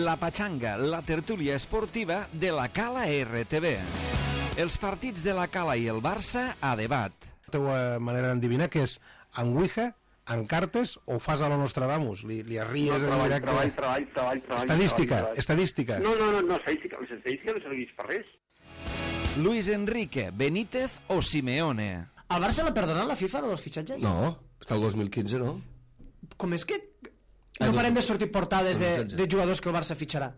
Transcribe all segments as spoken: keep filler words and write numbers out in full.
La Pachanga, la tertúlia esportiva de la Cala R T V. Els partits de la Cala i el Barça a debat. La teva manera d'endevinar que és en Ouija, en cartes o fas a lo Nostradamus? Li, li arries no, treball, en treball, treball, treball, treball, estadística, treball, treball. estadística. No, no, no, no, estadística, estadística no serveix per res. Luis Enrique, Benítez o Simeone? El Barça l'ha perdonat la FIFA, o dels fitxatges? No, està el dos mil quinze, no? Com és que no parem de sortir portades de, de jugadors que el Barça fitxarà?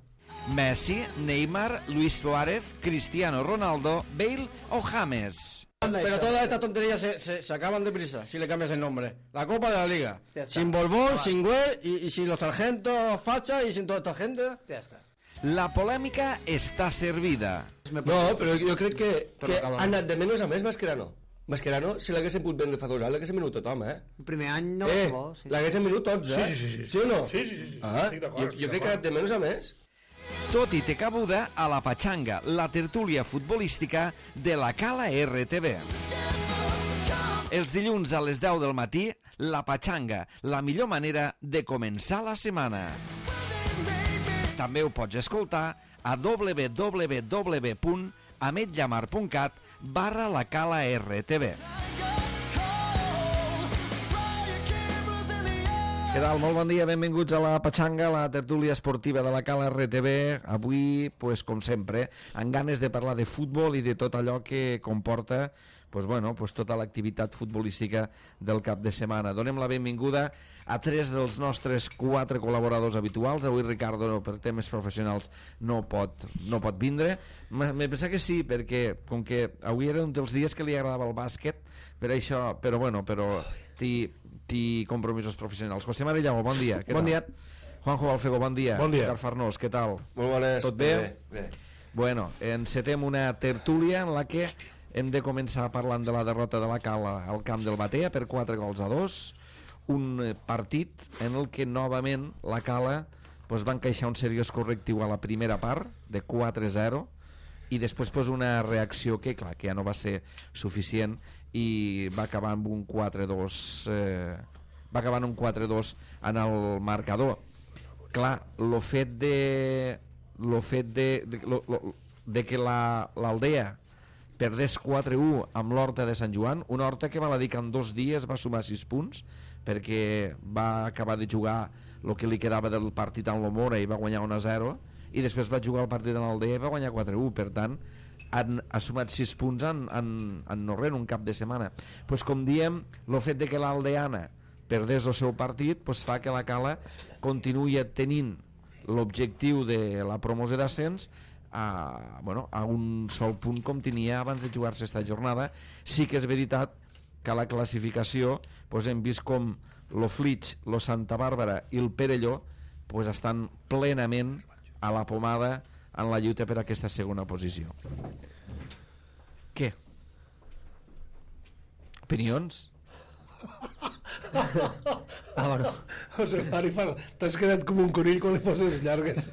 Messi, Neymar, Luis Suárez, Cristiano Ronaldo, Bale o James? Pero todas estas tonterías se, se, se acaban deprisa si le cambias el nombre. La Copa de la Liga. Sin Borbón, sin Güell y, y sin los sargentos facha y sin toda esta gente. Ja està. La polèmica està servida. No, però jo crec que, que ha anat de menys a més Mascherano. Mascherano, si l'haguessin pogut vendre fa dos anys, l'haguessin venut tothom, eh? El primer any no eh, bo, sí. L'haguessin venut tots, eh? Sí, sí, sí, sí. Sí o no? Sí, sí, sí, sí. Ah, estic d'acord, jo, estic jo crec que ha anat de menys a més. Tot i té cabuda a la Pachanga, la tertúlia futbolística de la Cala R T V. Els dilluns a les deu del matí, la Pachanga, la millor manera de començar la setmana. També ho pots escoltar a w w w punt ametllamar punt cat barra la Cala R T V. Què tal? Molt bon dia, benvinguts a la Pachanga, la tertúlia esportiva de la Cala R T V. Avui, pues, com sempre, amb ganes de parlar de futbol i de tot allò que comporta pues, bueno, pues, tota l'activitat futbolística del cap de setmana. Donem la benvinguda a tres dels nostres quatre col·laboradors habituals. Avui Ricardo, per temes professionals, no pot, no pot vindre. Me pensa que sí, perquè com que avui era un dels dies que li agradava el bàsquet, per això, però bueno, però t'hi i compromisos professionals. José María Llago, bon dia. Bon dia. Juanjo Balfego, bon dia. Bon dia. Ricard Farnós, què tal? Molt bones. Tot bé? Bé, bé. Bueno, encetem una tertúlia en la que hem de començar parlant de la derrota de la Cala al camp del Batea per quatre gols a dos, un partit en el que novament la Cala pues, va encaixar un seriós correctiu a la primera part de quatre a zero i després pues, una reacció que clar, que ja no va ser suficient i va acabar amb un quatre dos eh, va acabar en un quatre dos en el marcador. Clar, lo fet de lo fet de, de, lo, lo, de que la, l'Aldea perdés quatre a u amb l'Horta de Sant Joan, una Horta que val a dir que en dos dies va sumar sis punts perquè va acabar de jugar el que li quedava del partit amb l'Omora i va guanyar un a zero i després va jugar el partit en l'Aldea i va guanyar quatre a u, per tant han, ha sumat sis punts en, en, en no res, en un cap de setmana. Pues, com diem, el fet de que l'Aldeana perdés el seu partit pues, fa que la Cala continuï tenint l'objectiu de la promoció d'ascens a, bueno, a un sol punt com tenia abans de jugar-se esta jornada. Sí que és veritat que a la classificació pues, hem vist com lo Flix, lo Santa Bàrbara i el Perelló pues, estan plenament a la pomada en la lluita per a aquesta segona posició. Què? Opinions? Ah, bueno. José Mari, t'has quedat com un conill quan li poses llargues.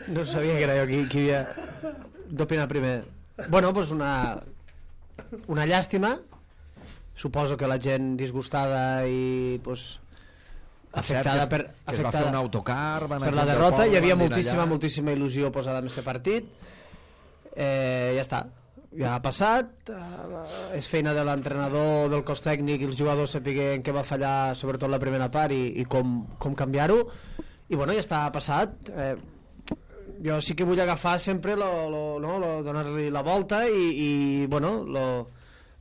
No sabia que era jo qui, qui havia d'opinar primer. Bueno, doncs una, una llàstima. Suposo que la gent disgustada i pues, afectada per que es va fer un autocar per la derrota. Hi havia moltíssima, moltíssima il·lusió posada en aquest partit. Eh, ja està. Ja ha passat, uh, és feina de l'entrenador, del cos tècnic i els jugadors sapiguem què va fallar, sobretot la primera part i, i com, com canviar-ho, i bueno, ja està passat. Eh, jo sí que vull agafar sempre lo, lo, no, lo, donar-li la volta i, i bueno, lo,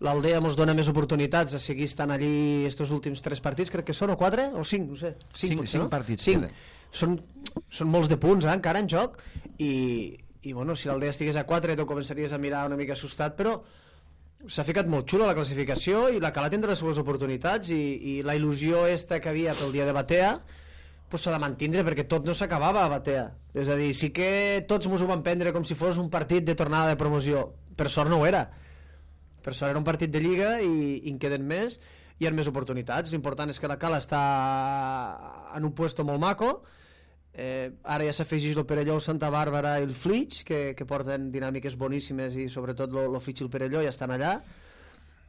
l'Aldea ens dona més oportunitats a seguir estant allí estos últims tres partits, crec que són, o quatre, o cinc, no sé. Cinc, cinc, cinc no? partits. Cinc. Són, són molts de punts, eh, encara en joc, i i bueno, si l'Aldea estigués a quatre tu començaries a mirar una mica assustat, però s'ha ficat molt xulo la classificació i la Cala tindrà les seves oportunitats i, i la il·lusió esta que havia pel dia de Batea pues s'ha de mantindre perquè tot no s'acabava a Batea, és a dir, sí que tots ens ho van prendre com si fos un partit de tornada de promoció, per sort no ho era, per sort era un partit de Lliga i, i en queden més i hi ha més oportunitats. L'important és que la Cala està en un puesto molt maco. Eh, ara ja s'afegeix el Perelló, el Santa Bàrbara i el Flix que, que porten dinàmiques boníssimes i sobretot el Flix i el Perelló ja estan allà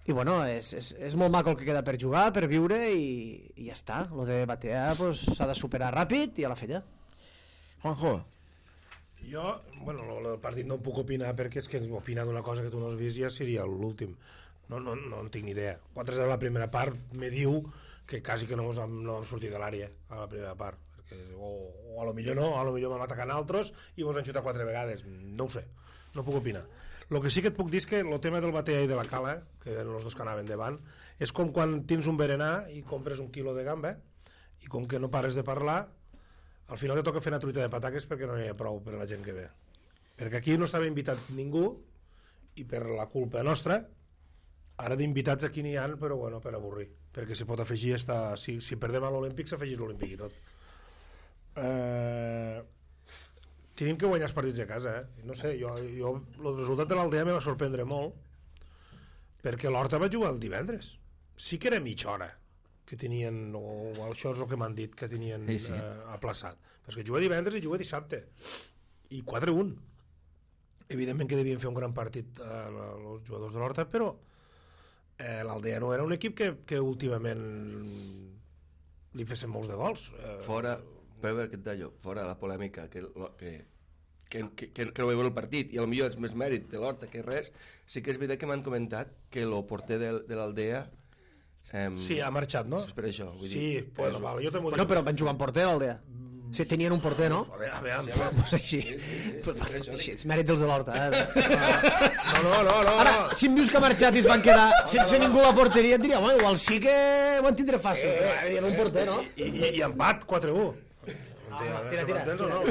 I bueno, és, és, és molt maco el que queda per jugar, per viure i, i ja està. Lo de Batea s'ha pues, de superar ràpid i a la fella. Juanjo. Jo, bueno, el partit no puc opinar perquè és que opinar d'una cosa que tu no has vist ja seria l'últim. No, no, no en tinc ni idea. quatre a zero a la primera part me diu que quasi que no vam, no vam sortir de l'àrea a la primera part. Perquè, o, o a lo millor no, a lo millor vam atacar altres i vos han xutat quatre vegades. No ho sé, no puc opinar. El que sí que et puc dir és que el tema del Batea i de la Cala, que eren els dos que anaven davant, és com quan tens un berenar i compres un quilo de gamba i com que no pares de parlar, al final te toca fer una truita de pataques perquè no hi ha prou per a la gent que ve. Perquè aquí no estava invitat ningú i per la culpa nostra, ara d'invitats aquí n'hi ha, però bueno, per avorrir. Perquè si pot afegir, està... si, si perdem a l'Olímpic, s'afegís l'Olímpic i tot. Eh... Tenim que guanyar els partits a casa, eh? No sé, jo, jo, el resultat de l'Aldea me va sorprendre molt perquè l'Horta va jugar el divendres. Sí que era mitja hora que tenien, o això és el que m'han dit, que tenien sí, sí. Eh, aplaçat. Perquè juga divendres i juga dissabte. I quatre a un. Evidentment que devien fer un gran partit eh, els jugadors de l'Horta, però eh, l'Aldea no era un equip que, que últimament li fessin molts de gols. Eh, Fora... Però que et deia, fora la polèmica que, que, que, que, que no veieu el partit i potser és més mèrit de l'Horta que res, sí que és veritat que m'han comentat que el porter de, de l'Aldea eh, sí, ha marxat, no? És per això, vull sí, dir, pues, però... val, jo també bueno, però van jugar amb porter l'Aldea. Sí, tenien un porter, no? A veure, a veure, sí, pues així. Sí, sí, sí. Pues, així, és mèrit dels de l'Horta, eh? No, no, no, no. Ara, si em dius que ha marxat i es van quedar sense ningú a la porteria, et diria, home, igual sí que ho en tindré fàcil. Eh, però hi havia un porter, no? I, i, i empat, quatre a u. Ah, tira, tira, tira, no?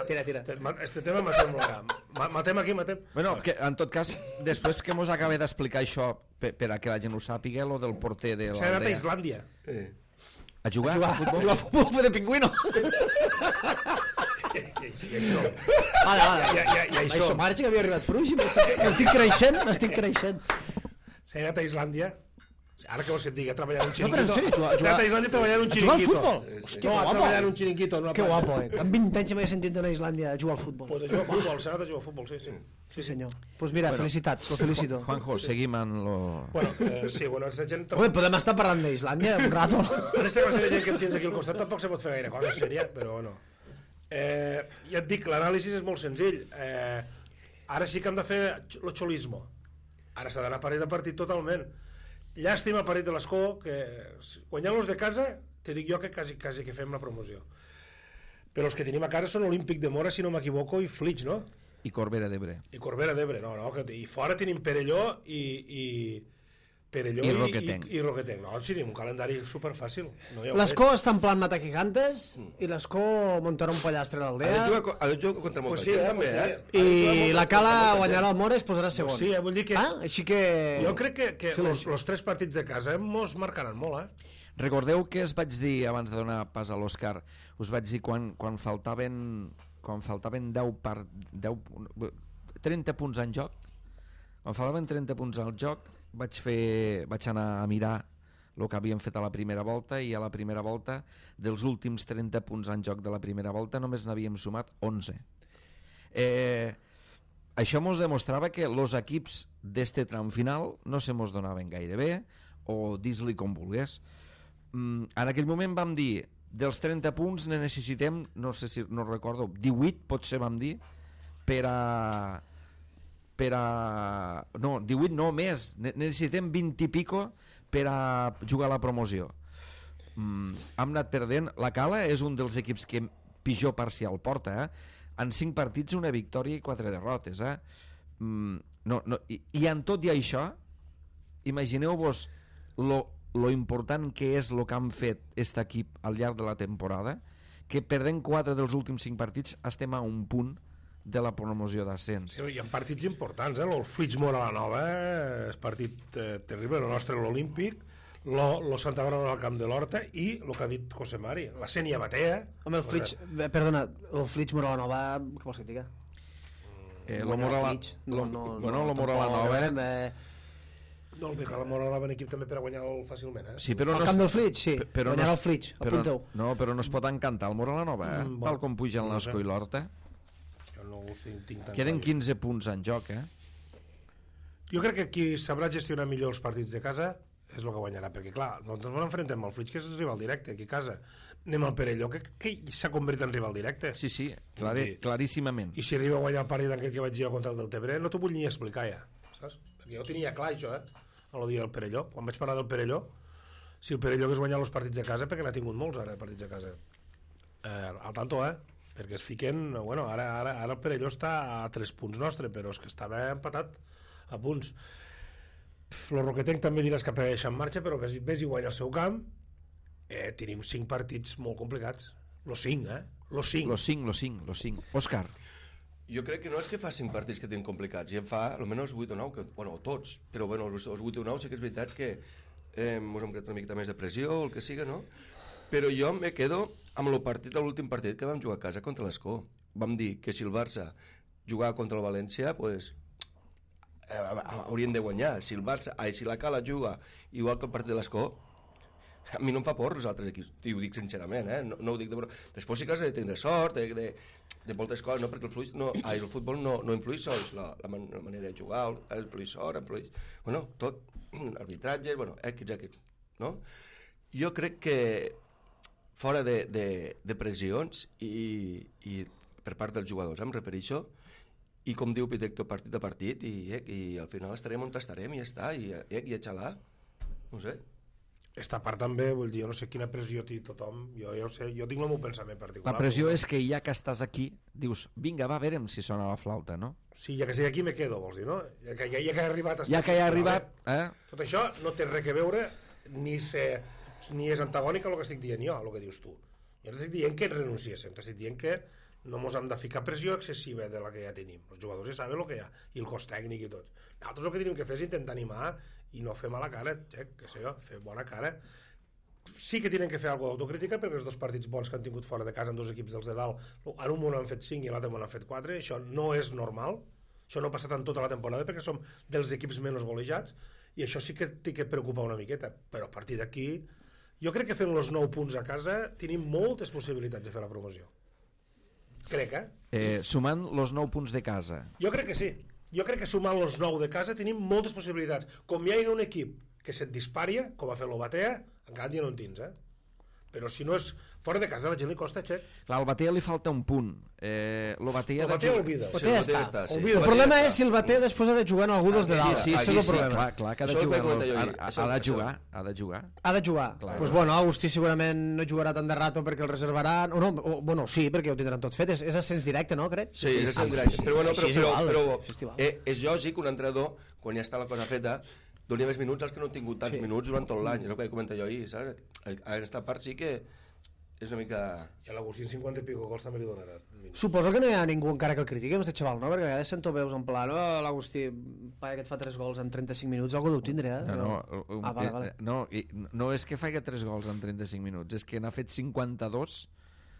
tira, tira. Este tema matem molt gran. Matem aquí, matem. Bueno, que, en tot cas, després que mos acabe d'explicar això, per, per a que la gent ho sàpiga, lo del porter de l'Aldea... S'ha anat a Islàndia. Eh. A jugar? A jugar a futbol? A jugar a futbol, fer de pingüino. I això. Vale, vale. I, i, i això. Això marxa que havia arribat Fruix i m'estic creixent, m'estic creixent. S'ha anat a Islàndia. Ara que vols que et digui, a treballar en un xiringuito. No, però en sèrio, S'ha anat a Islàndia a treballar en un xiringuito. A jugar al futbol? Hòstia, no, a treballar en un xiringuito. No que guapo, eh? Amb vint anys m'he sentit d'anar a Islàndia a jugar al futbol. Pues a jugar a futbol, s'ha anat a jugar a futbol, sí, sí. Sí, senyor. Pues mira, bueno, felicitats, lo felicito. Juanjo, sí. Seguim en lo... Bueno, eh, sí, bueno, aquesta gent... Home, podem estar parlant d'Islàndia un rato. En aquesta classe de gent que em tens aquí al costat tampoc se pot fer gaire cosa sèria, però bueno. Eh, ja et dic, l'anàlisi és molt senzill. Eh, ara sí que hem de fer el xolismo. Ara s'ha d'anar partit a partit totalment. Llàstima el partit de l'Escó, que guanyant-los de casa, te dic jo que quasi, quasi que fem la promoció. Però els que tenim a casa són Olímpic de Mora, si no m'equivoco, i Flix, no? I Corbera d'Ebre. I Corbera d'Ebre, no, no. Que, I fora tenim Perelló i... i Perelló I i, Roquetenc. i, i Roquetenc. No, sí, tenim un calendari superfàcil. No L'Escó està en plan matar gigantes i l'Escó muntarà un pollastre a l'Aldea. Ha de jugar contra molta pues sí, gent, eh, també, pues eh? I la Cala guanyarà el Mora i es posarà segon. Pues sí, eh, vull dir que... Ah, així que... Jo crec que, que sí, los, los tres partits de casa mos marcaran molt, eh? Recordeu que es vaig dir, abans de donar pas a l'Òscar, us vaig dir quan, quan faltaven quan faltaven deu per, deu, trenta punts en joc, quan faltaven trenta punts al joc, vaig, fer, vaig anar a mirar el que havíem fet a la primera volta i a la primera volta, dels últims trenta punts en joc de la primera volta, només n'havíem sumat onze. Eh, això mos demostrava que els equips d'este tram final no se mos donaven gaire bé, o dis-li com vulgués. Mm, en aquell moment vam dir dels trenta punts ne necessitem, no sé si no recordo, divuit potser vam dir, per a per a... no, divuit no, més, ne necessitem vint i pico per a jugar a la promoció. Mm, hem anat perdent. La Cala és un dels equips que pitjor parcial porta, eh? En cinc partits una victòria i quatre derrotes, eh? Mm, no, no, i, i en tot i això, imagineu-vos lo, lo important que és el que han fet aquest equip al llarg de la temporada, que perdent quatre dels últims cinc partits estem a un punt de la promoció d'ascens. Sí, hi ha partits importants, eh? El Flix Mora la Nova, eh? És partit eh, terrible, el nostre l'Olímpic, lo, lo Santa Bàrbara al camp de l'Horta i el que ha dit José Mari, la Sènia Batea. Home, el Flix, eh, perdona, el Flix Mora la Nova, què vols que et diga? Eh, lo Mora la, no, no, bueno, no, lo Mora la Nova... Eh... No, el que la Mora la en equip també per a guanyar-lo fàcilment, eh? Sí, però el no camp del Flix, sí, però guanyarà no el Flix, però, apunteu. No, però no es pot encantar el Mora la Nova, eh? Mm, Tal com puja el no Nasco sé. i l'Horta. Jo no ho tinc, tinc tan Queden clar. quinze punts en joc, eh? Jo crec que qui sabrà gestionar millor els partits de casa és el que guanyarà, perquè clar, nosaltres ens enfrontem al Flix, que és rival directe, aquí a casa. Anem al Perelló, que, que s'ha convertit en rival directe. Sí, sí, clare, I, claríssimament. I si arriba a guanyar el partit en què vaig jo contra el del Tebre, no t'ho vull ni explicar ja, saps? Perquè jo ho tenia clar, això, eh? A lo dia del Perelló. Quan vaig parlar del Perelló, si el Perelló hagués guanyat els partits de casa, perquè n'ha tingut molts ara, partits de casa. Eh, al tanto, eh? Perquè es fiquen... Bueno, ara, ara, ara el Perelló està a tres punts nostre, però és que estava empatat a punts. El Roquetenc també diràs que apareix en marxa, però ves, ves i guanya el seu camp. Eh, tenim cinc partits molt complicats. Los cinc, eh? Los cinc. Los cinc, los cinc, los cinc. Òscar. Jo crec que no és que fa cinc partits que tenen complicats, ja en fa almenys vuit o nou, que, bueno, tots, però bueno, els, els vuit o nou sí que és veritat que eh, ens hem creat una miqueta més de pressió o el que siga, no? Però jo me quedo amb el partit, l'últim partit que vam jugar a casa contra l'Escó. Vam dir que si el Barça jugava contra el València, pues, eh, haurien de guanyar. Si el Barça, ai, si la Cala juga igual que el partit de l'Escó, a mi no em fa por els altres equips, i ho dic sincerament, eh? no, no ho dic de broma. Després sí que has de tindre sort, de, de, de moltes coses, no? Perquè el, fluix, no, ai, el futbol no, no influïx sols, la, la, man, la manera de jugar, el influïx sort, influïx... Bueno, tot, arbitratge, bueno, X, X, no? Jo crec que fora de, de, de pressions i, i per part dels jugadors, em refereixo, i com diu Pitecto, partit a partit, i, i, i al final estarem on estarem, i ja està, i, i, i a xalar, no sé. Esta part també, vull dir, jo no sé quina pressió té tothom, jo, jo, sé, jo tinc el meu pensament particular. La pressió és que ja que estàs aquí, dius, vinga, va, veurem si sona la flauta, no? Sí, ja que estic aquí me quedo, vols dir, no? Ja que ja, ja que he arribat... Ja que ja he arribat, eh? Tot això no té res a veure, ni, se, ni és antagònic a el que estic dient jo, a el que dius tu. Jo no estic dient que renunciéssim, t'estic dient que no ens hem de ficar pressió excessiva de la que ja tenim. Els jugadors ja saben el que hi ha, i el cos tècnic i tot. Nosaltres el que tenim que fer és intentar animar i no fer mala cara, xec, que sé jo, fer bona cara. Sí que tenen que fer alguna d'autocrítica, perquè els dos partits bons que han tingut fora de casa en dos equips dels de dalt, en un món han fet cinc i l'altre món han fet quatre, això no és normal, això no ha passat en tota la temporada perquè som dels equips menys golejats, i això sí que té que preocupar una miqueta, però a partir d'aquí jo crec que fent els nou punts a casa tenim moltes possibilitats de fer la promoció. Crec, eh? eh sumant els nou punts de casa. Jo crec que sí. Jo crec que sumant els nou de casa tenim moltes possibilitats. Com hi ha un equip que se't disparia, com ha fet l'Obatea, encara ja no en tens, eh? Però si no és fora de casa, a la gent li costa, xec. Clar, al Batea li falta un punt. Eh, l'Obatea El Batea olvida. Sí, el Batea està, sí. Olvida. El problema és si el Batea després ha de jugar en algú dels de Sí, dalt. sí, Això sí, és el sí, problema. clar, clar, que ha de Això ho jugar. vaig comentar jo Ha, ahir. ha, Això- ha de això- jugar, ha de jugar. Ha de jugar. Clar. Doncs pues bueno, Agustí segurament no jugarà tant de rato perquè el reservaran, o no, o, bueno, sí, perquè ho tindran tot fet. És, és ascens directe, no, crec? Sí, sí, sí, sí, sí, sí, sí. però bueno, Així però, és però, igual, però així és igual. eh, és lògic que un entrenador, quan ja està la cosa feta, doni més minuts als que no han tingut tants Sí. minuts durant tot l'any, és el que comento jo ahir, saps? A aquesta part sí que és una mica... I a l'Agustí en cinquanta i pico gols també li donarà. Suposo que no hi ha ningú encara que el critiqui amb aquest xaval, no? Perquè a vegades sento veus en plan, oh, l'Agustí, paia que et fa tres gols en trenta-cinc minuts, algú deu tindre, eh? No, no, um, Ah, vale, eh, vale. no, i no és que faci tres gols en trenta-cinc minuts, és que n'ha fet cinquanta-dos.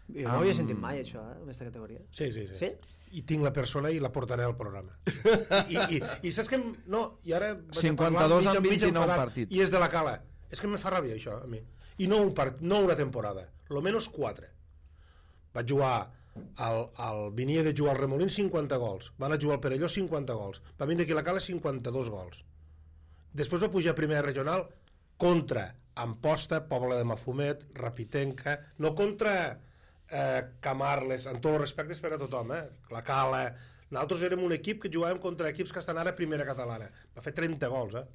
Jo no ho havia sentit mai, això, eh, en aquesta categoria. Sí, sí, sí. Sí? I tinc la persona i la portaré al programa. I, i, i saps que... em- No, i ara... vaig a cinquanta-dos parlar en mig- mig vint-i-nou enfadat, partits. I és de la Cala. És que me fa ràbia, això, a mi. I no, un part, no una temporada, lo menos quatre. Vaig jugar al, al venia de jugar al Remolins cinquanta gols, van a jugar al Perelló cinquanta gols, va vindre aquí a la Cala cinquanta-dos gols. Després va pujar a primera regional contra Amposta, Pobla de Mafumet, Rapitenca, no contra eh, Camarles, en tots els respectes per a tothom, eh? La Cala. Nosaltres érem un equip que jugàvem contra equips que estan ara a primera catalana. Va fer trenta gols, eh?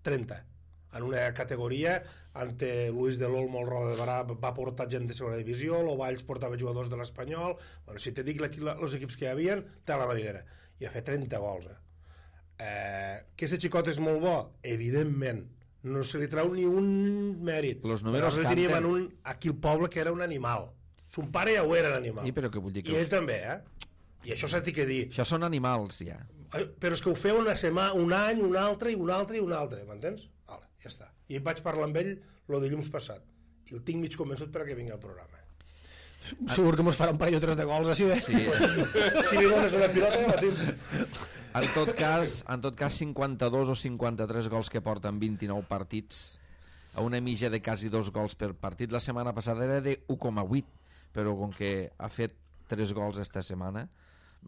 trenta. En una categoria ante Luis de l'Olmo, el Roda de Barà va portar gent de segona divisió, l'Ovalls portava jugadors de l'Espanyol, bueno, si te dic els equips que hi havia, té la marinera, i ha fet trenta gols, eh? Eh, que ese xicot és molt bo? Evidentment, no se li trau ni un mèrit. Los números Però teníem canten. en un, aquí el poble que era un animal. Son pare ja ho era l'animal. Sí, però què vull dir que- I ell també, eh? I això s'ha de dir. Això són animals, ja. Eh, Però és que ho feu una setmana, un any, un altre, i un altre, i un altre, m'entens? Vale, ja està. I vaig parlar amb ell lo dilluns passat. I el tinc mig convençut perquè vingui al programa. Segur que mos farà un parell o tres de gols, així, eh? Sí. Si li dones una pilota, ja la tens. En tot cas, en tot cas cinquanta-dos o cinquanta-tres gols que porten vint-i-nou partits, a una mitja de quasi dos gols per partit. La setmana passada era de u coma vuit, però com que ha fet tres gols esta setmana,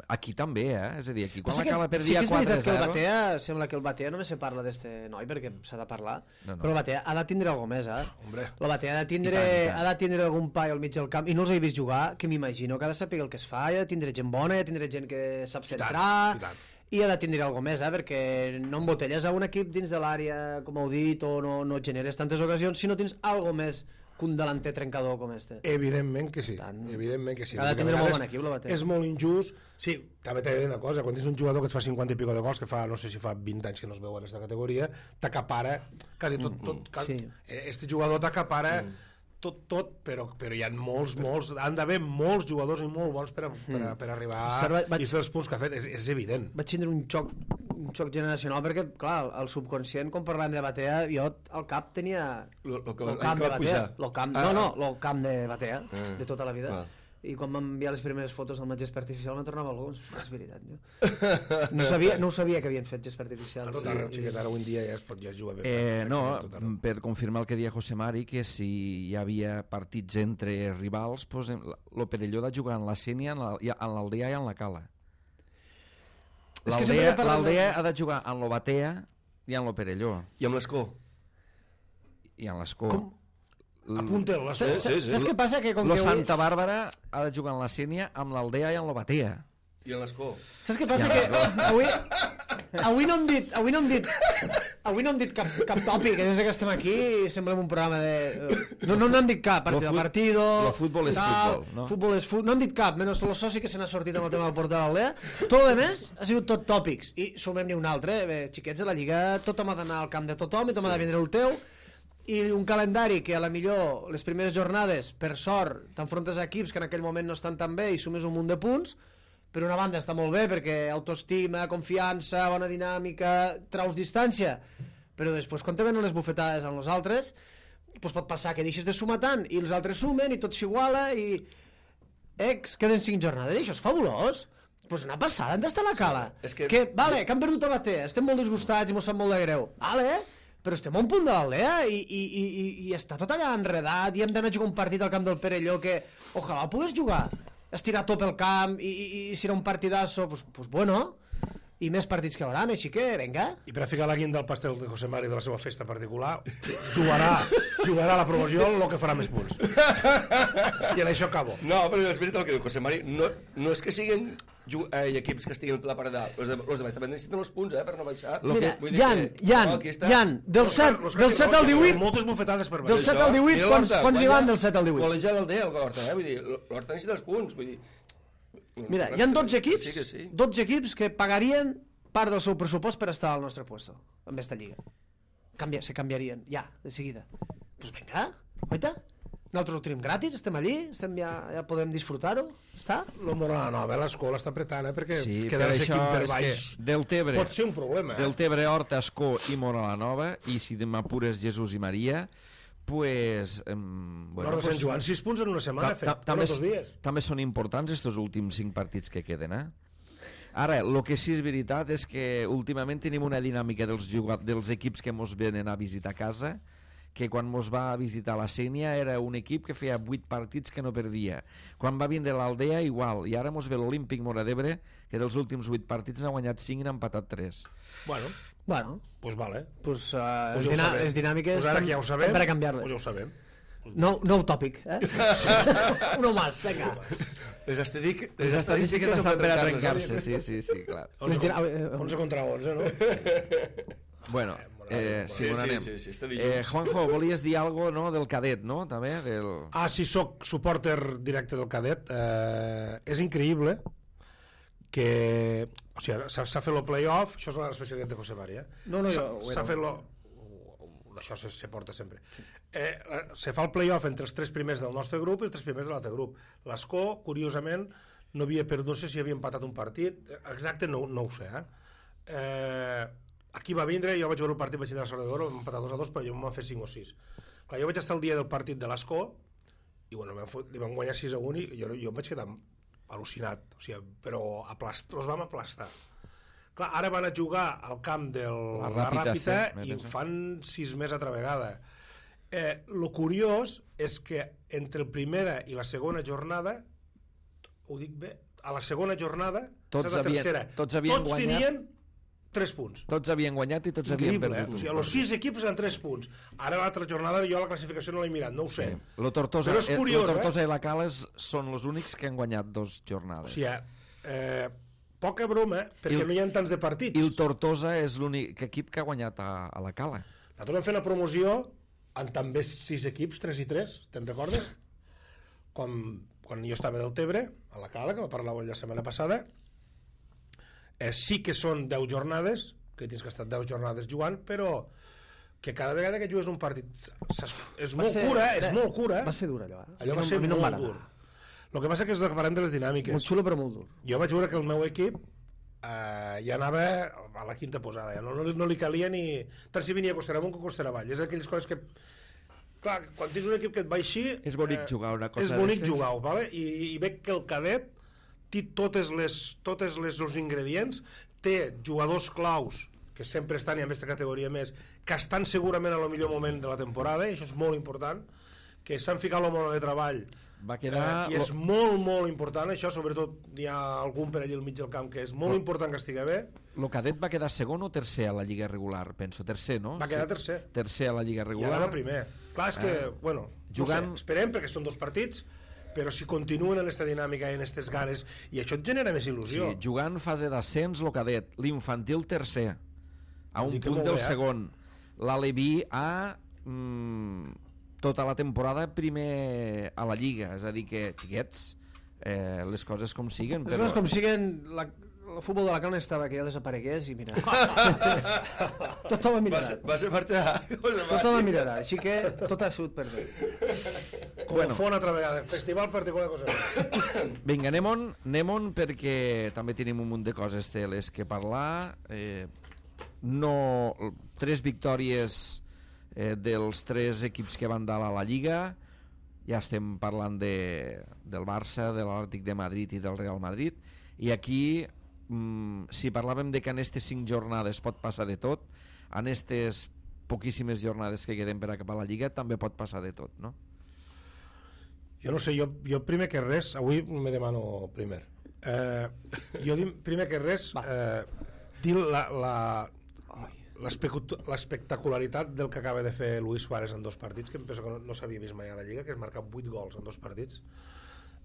Aquí també, eh? És a dir, aquí quan Passa la que Cala sí perdia que és quatre veritat que el zero... Batea, sembla que el Batea només se parla d'este noi perquè s'ha de parlar, No, no. però el Batea ha de tindre alguna més, eh? Hombre. El Batea ha de tindre, I tant, i tant. ha de tindre algun paio al mig del camp, i no els he vist jugar, que m'imagino que ha de saber el que es fa, i ha de tindre gent bona, i ha de tindre gent que sap I tant, centrar, i tant. i ha de tindre alguna més, eh? Perquè no embotelles a un equip dins de l'àrea, com heu dit, o no, no et generes tantes ocasions si no tens alguna més que un delanter trencador com este. Evidentment que sí, Tant. evidentment que sí. Ha de Perquè a tindre molt vegades bon equip, la Batea. És molt injust. Sí, també t'he de dir una cosa, quan tens un jugador que et fa cinquanta i pico de gols, que fa, no sé si fa vint anys que no es veu en aquesta categoria, t'acapara quasi tot, tot, quasi, Sí. este jugador t'acapara tot, tot, però, però hi ha molts, molts, han d'haver molts jugadors i molt bons per, a, per, a, per arribar Serva- vaig- i fer els punts que ha fet, és, és evident. Vaig tindre un xoc, un xoc generacional perquè, clar, el subconscient, quan parlàvem de Batea, jo al cap tenia Lo, lo que, el el camp que de va Batea, pujar. lo camp, Ah, no, no, ah. el camp de Batea, Ah. de tota la vida. Ah. I quan m'han enviat les primeres fotos del gespa artificial me tornava algú, és veritat, tio. No sabia, no ho sabia que havien fet gespa artificial. A tot arreu, xiquet, ara avui en dia ja es pot ja jugar bé. Eh, no, perfectament a tot arreu. per confirmar el que deia José Mari, que si hi havia partits entre rivals, pues, el Perelló ha de jugar en la Sénia, en la- i en l'Aldea i en la Cala. És que sempre L'Aldea parlen de- l'Aldea ha de jugar en lo Batea i en lo Perelló, I amb l'escó. i en l'Escó. Com? Apunta'l, la Saps, Sí, sí, sí. saps què passa? Que com Lo que avui... Santa Bàrbara ha de jugar en la Sénia, amb l'Aldea i en lo Batea. I amb l'escó. Saps què passa? Que avui, avui no hem dit, avui no hem dit, avui no hem dit cap, cap tòpic, que des que estem aquí semblem un programa de... No, no n'hem dit cap, partido Lo a fut- partido... lo futbol és tal, futbol, no? Futbol és futbol, no hem dit cap, menys el soci que se n'ha sortit amb el tema del portal d'Aldea. Tot el més ha sigut tot tòpics, i sumem-ne un altre. Bé, xiquets, a la Lliga tothom ha d'anar al camp de tothom i tothom ha de vindre el teu, i un calendari que a la millor les primeres jornades, per sort, t'enfrontes a equips que en aquell moment no estan tan bé i sumes un munt de punts. Per una banda està molt bé perquè autoestima, confiança, bona dinàmica, traus distància, però després quan te venen les bufetades amb els altres, doncs pot passar que deixes de sumar tant i els altres sumen i tot s'iguala i ex, queden cinc jornades i això és fabulós. Pues una passada, on està la Cala? Sí, és que- que... Vale, que han perdut a Batea, estem molt disgustats i mos sap molt de greu. Vale, però estem a un punt de l'Aldea i, i, i, i, i està tot allà enredat i hem d'anar a jugar un partit al camp del Perelló que ojalà el pogués jugar, estirar tot pel camp i, i, i si era un partidazo, pues, pues bueno, i més partits que hauran, així que venga. I per a ficar la guinda al pastel de José Mari de la seva festa particular, jugarà, jugarà a la promoció el que farà més punts. I en això acabo. No, però és veritat el que diu José Mari. No, no és que siguin ju- eh, equips que estiguin a la part de dalt. Els de, los de baix també necessiten els punts, eh, per no baixar. Lo Mira, Vull dir Jan, que- Jan, no, aquí està. Jan, del Los que- set, los que del han set dit, al divuit, Moltes bufetades per del baix. set al divuit, Mira quants, l'Horta, quants n'hi guanya- van del set al divuit? Golejant l'Aldea, el Horta, eh? Vull dir, l'Horta necessita els punts, vull dir... Mira, hi ha dotze equips, Sí que sí. dotze equips que pagarien part del seu pressupost per estar al nostre puesto, en esta lliga. Canvia, se canviarien, ja, de seguida. Pues venga, oita, nosaltres ho tenim gratis, estem allí, estem ja, ja podem disfrutar-ho, està? La Morala Nova, l'escola està apretant, eh, perquè Sí, per quedar això equip per és baix que Deltebre, pot ser un problema. Eh? Deltebre, Horta, Escó i Mora la Nova, i si m'apures Jesús i Maria, pues... Eh, Bueno, no, pues, Sant Joan, sis punts en una setmana, ta- fet, ta- bueno, també, dos dies. també són importants estos últims cinc partits que queden, eh? Ara, el que sí és veritat és que últimament tenim una dinàmica dels, jugat dels equips que mos venen a visitar casa, que quan mos va a visitar la Sénia era un equip que feia vuit partits que no perdia. Quan va vindre l'Aldea, igual. I ara mos ve l'Olímpic Mora d'Ebre, que dels últims vuit partits n'ha guanyat cinc i n'ha empatat tres. Bueno, Bueno, pues vale. pues, uh, Pues les, ja ho dinà sabem. les dinàmiques Pues ara que ja ho sabem, per a canviar-les. pues ja ho sabem. Nou, nou tòpic, eh? Uno más, vinga. Les, estadístiques, Les estadístiques estan per a trencar-les, trencar-se, sí, sí, sí, clar. Les onze, dinà- eh, eh, onze contra onze, no? Bueno, eh, sí, Sí, on sí, anem? sí, sí, està dilluns. Eh, Juanjo, volies dir alguna cosa, no?, del cadet, no?, també, del... Ah, sí, soc supporter directe del cadet. Eh, és increïble que... O sigui, s'ha s'ha fet el play-off, això és l'especialitat de José Mari, eh? No, no, jo S'ha- ho S'ha era. fet lo... Això se, se porta sempre. Eh, se fa el play-off entre els tres primers del nostre grup i els tres primers de l'altre grup. L'Escó, curiosament, no havia perdut, no sé si havia empatat un partit, exacte no, no ho sé, eh? eh? Aquí va vindre, jo vaig veure el partit, vaig tindre la sort de veure, vam empatar dos a dos, però jo em van fer cinc o sis. Clar, jo vaig estar el dia del partit de l'Escó i bueno, vam fot, li vam guanyar sis a un i jo, jo em vaig quedar al·lucinat, o sigui, però aplast, els vam aplastar. Clar, ara van a jugar al camp de la, la Ràpita C, i ho penso. fan sis més altra vegada. Eh, lo curiós és que entre la primera i la segona jornada, ho dic bé, a la segona jornada Tots és la havien- tercera. tots havien tots guanyat. tenien tres punts. Tots havien guanyat i tots havien Increïble, eh? perdut. O sigui, els sis equips eren tres punts. Ara l'altra jornada jo la classificació no l'he mirat, no ho sé. Sí. Lo Tortosa, Però és eh, curiós, lo Tortosa eh? i la Cales són els únics que han guanyat dos O jornades. sigui, eh, poca broma, perquè I el- no hi ha tants de partits. I el Tortosa és l'únic equip que ha guanyat a, a la Cala. Nosaltres vam fer una promoció amb també sis equips, tres i tres, te'n recordes? Quan, quan jo estava del Tebre, a la Cala, que va parlar la setmana passada, eh, sí que són deu jornades, que tens que estar deu jornades jugant, però que cada vegada que jugues un partit és molt ser- cura, és molt cura. Va ser dur allò, eh? Allò A mi va no- ser a mi no em va molt agradar. dur. El que passa que és el que parlem de les dinàmiques. Molt xulo però molt dur. Jo vaig veure que el meu equip eh, ja anava a la quinta posada, ja no, no, no li calia ni... Tant si venia a Costera Amunt com a Costera Avall. És aquelles coses que... Clar, quan tens un equip que et va així... És bonic jugar una cosa És bonic d'estes. jugar, vale? I, i veig que el cadet té totes les, totes les, els ingredients, té jugadors claus que sempre estan, i en aquesta categoria més, que estan segurament al millor moment de la temporada, i això és molt important, que s'han ficat la mono de treball, Va quedar... eh, i és molt, molt important, això, sobretot hi ha algun per allà al mig del camp que és molt important que estigui bé. Lo cadet va quedar segon o tercer a la Lliga regular? Penso, tercer, no? Va quedar tercer. Tercer a la Lliga I regular. ara va primer. Clar, és que, Ah. bueno, Jugant- no sé, esperem perquè són dos partits, però si continuen en aquesta dinàmica i en aquestes ganes, i això et genera més il·lusió. Sí, jugant fase d'ascens, lo cadet. L'infantil tercer, a Vol un dir que punt molt del bé, eh? segon. L'Aleví a... Mm, tota la temporada primer a la Lliga. És a dir que, xiquets, eh, les coses com siguen. Les coses com siguen, la, el futbol de la Calna estava que ja desaparegués i mira. Tothom Va em mirarà. ser, va ser marxar. Tothom em mirarà, així que tot ha sigut per bé. Com bueno. Fon altra vegada. Festival particular cosa. Vinga, anem-on, anem-on perquè també tenim un munt de coses de les que parlar. Eh, no, tres victòries eh, dels tres equips que van dalt a la Lliga. Ja estem parlant de, del Barça, de l'Atlètic de Madrid i del Real Madrid. I aquí, mm, si parlàvem de que en aquestes cinc jornades pot passar de tot, en aquestes poquíssimes jornades que queden per acabar la Lliga també pot passar de tot, no? Jo no sé, jo, jo primer que res, avui me demano primer. Eh, jo dim, primer que res, eh, dir la, la, l'espectacularitat del que acaba de fer Luis Suárez en dos partits, que em penso que no, no s'havia vist mai a la Lliga, que és marcar vuit gols en dos partits.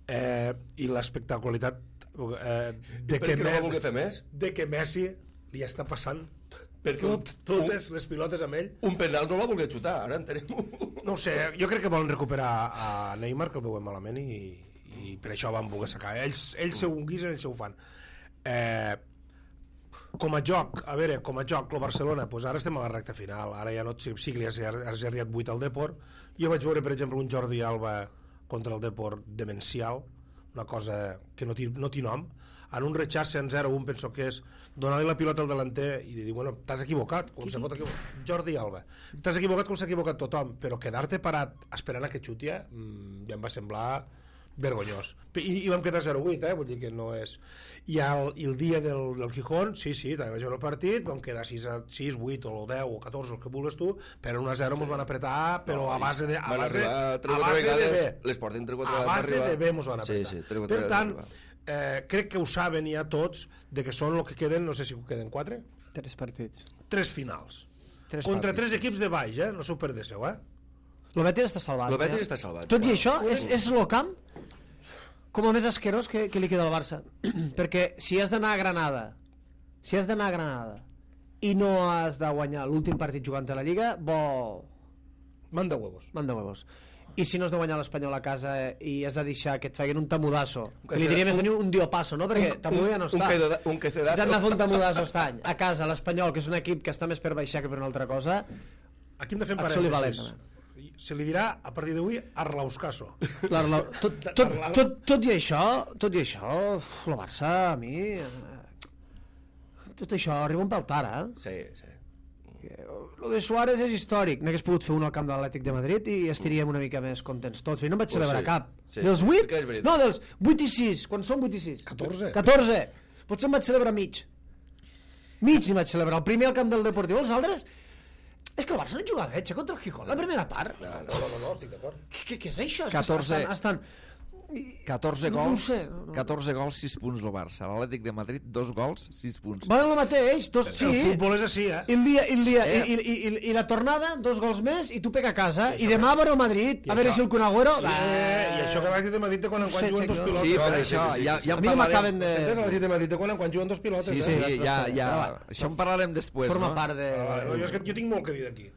Eh, I l'espectacularitat eh, de, Per que què no va Me- voler fer més? de que Messi li està passant Perquè tot, totes les pilotes amb ell. Un penal no va voler xutar, ara entenem-ho. No ho sé, jo crec que volen recuperar a Neymar, que el veuen malament, i, i per això van voler sacar. Ells, ells se ho guisen, ells se ho fan. Eh, com a joc, a veure, com a joc, el Barcelona, doncs ara estem a la recta final, ara ja no et sí que li has, has arribat vuit al Depor. Jo vaig veure, per exemple, un Jordi Alba contra el Depor demencial, una cosa que no té no té nom, en un rechace en zero un penso que és donar-li la pilota al delanter i dir, bueno, t'has equivocat, com se pot equivocar? Jordi Alba. T'has equivocat com s'ha equivocat tothom, però quedar-te parat esperant a que xuti ja em va semblar vergonyós. I, i vam quedar zero vuit, eh? Vull dir que no és... I el, i el dia del, del Gijón, sí, sí, també vaig veure el partit, vam quedar sis, vuit o deu o catorze, el que vulguis tu, però un a zero ens van apretar, però No, a base de... A van base, arribar tres o a quatre base de vegades, bé. les porten tres o quatre A vegades base per de arribar. bé ens van Sí, apretar. sí, tres o quatre per vegades tant, per arribar. eh, crec que ho saben ja tots, de que són el que queden, no sé si queden quatre, Tres partits. tres finals. Tres Contra partits. tres equips de baix, eh? No s'ho perdéssiu, eh? El Betis està salvat. El Betis eh? està salvat. Tot i Bueno. això, és, és el camp com el més asquerós que, que li queda al Barça. Perquè si has d'anar a Granada, si has d'anar a Granada i no has de guanyar l'últim partit jugant a la Lliga, bo... Manda huevos. Manda huevos. I si no has de guanyar l'Espanyol a casa i has de deixar que et facin un tamudasso, Un que li diria més tenir un diopasso, no? Perquè Tamudo ja no un, està. quedo- un Si quecedazo. t'han de fer un tamudasso estany a casa, l'Espanyol, que és un equip que està més per baixar que per una altra cosa, Aquí hem de fer un Et soli parèntesis. valent, Se li dirà, a partir d'avui, Arlauscaso. l'Arlau- tot, tot, tot, tot i això, tot i això, uf, el Barça, a mi... eh, Tot això arriba un pèl tard, eh? Sí, sí. Lo de Suárez és històric. N'hagués pogut fer un al camp de l'Atlètic de Madrid i estaríem una mica més contents tots. Però no en vaig Pues celebrar sí, cap. sí, dels sí, vuit? sí que és veritat. No, dels vuit i sis. Quan són vuit i sis? catorze. catorze. Potser em vaig celebrar mig. Mig n'hi vaig celebrar. El primer al camp del Deportiu. Els altres... És que el Barça no jugava bé, contra el Gijón, la primera part. No, no, no, no estic d'acord. Què, què és això? És catorze. Que estan, estan... catorze no ho gols, sé, no, no. catorze gols, sis punts el Barça. L'Atlètic de Madrid, dos gols, sis punts. Valen el mateix, dos, El sí. futbol és així, eh? I el dia, i, el dia, Sí. i, i, i, i la tornada, dos gols més, i tu pega a casa. I demà veure el Madrid, I a veure això- si el Kun Agüero... Sí, I això que l'Atlètic de Madrid té quan en No quan sé, juguen dos Xavi, pilotes. Sí, per eh? això, sí, sí, ja, sí. ja A en mi no parlarem. m'acaben de... Sentes l'Atlètic de Madrid té quan en quan juguen dos pilotes. Sí, eh? sí, sí, ja, sí, ja, sí. això en parlarem després, Forma no? part de... Ah, vale, no, jo, és que jo tinc molt que dir d'aquí.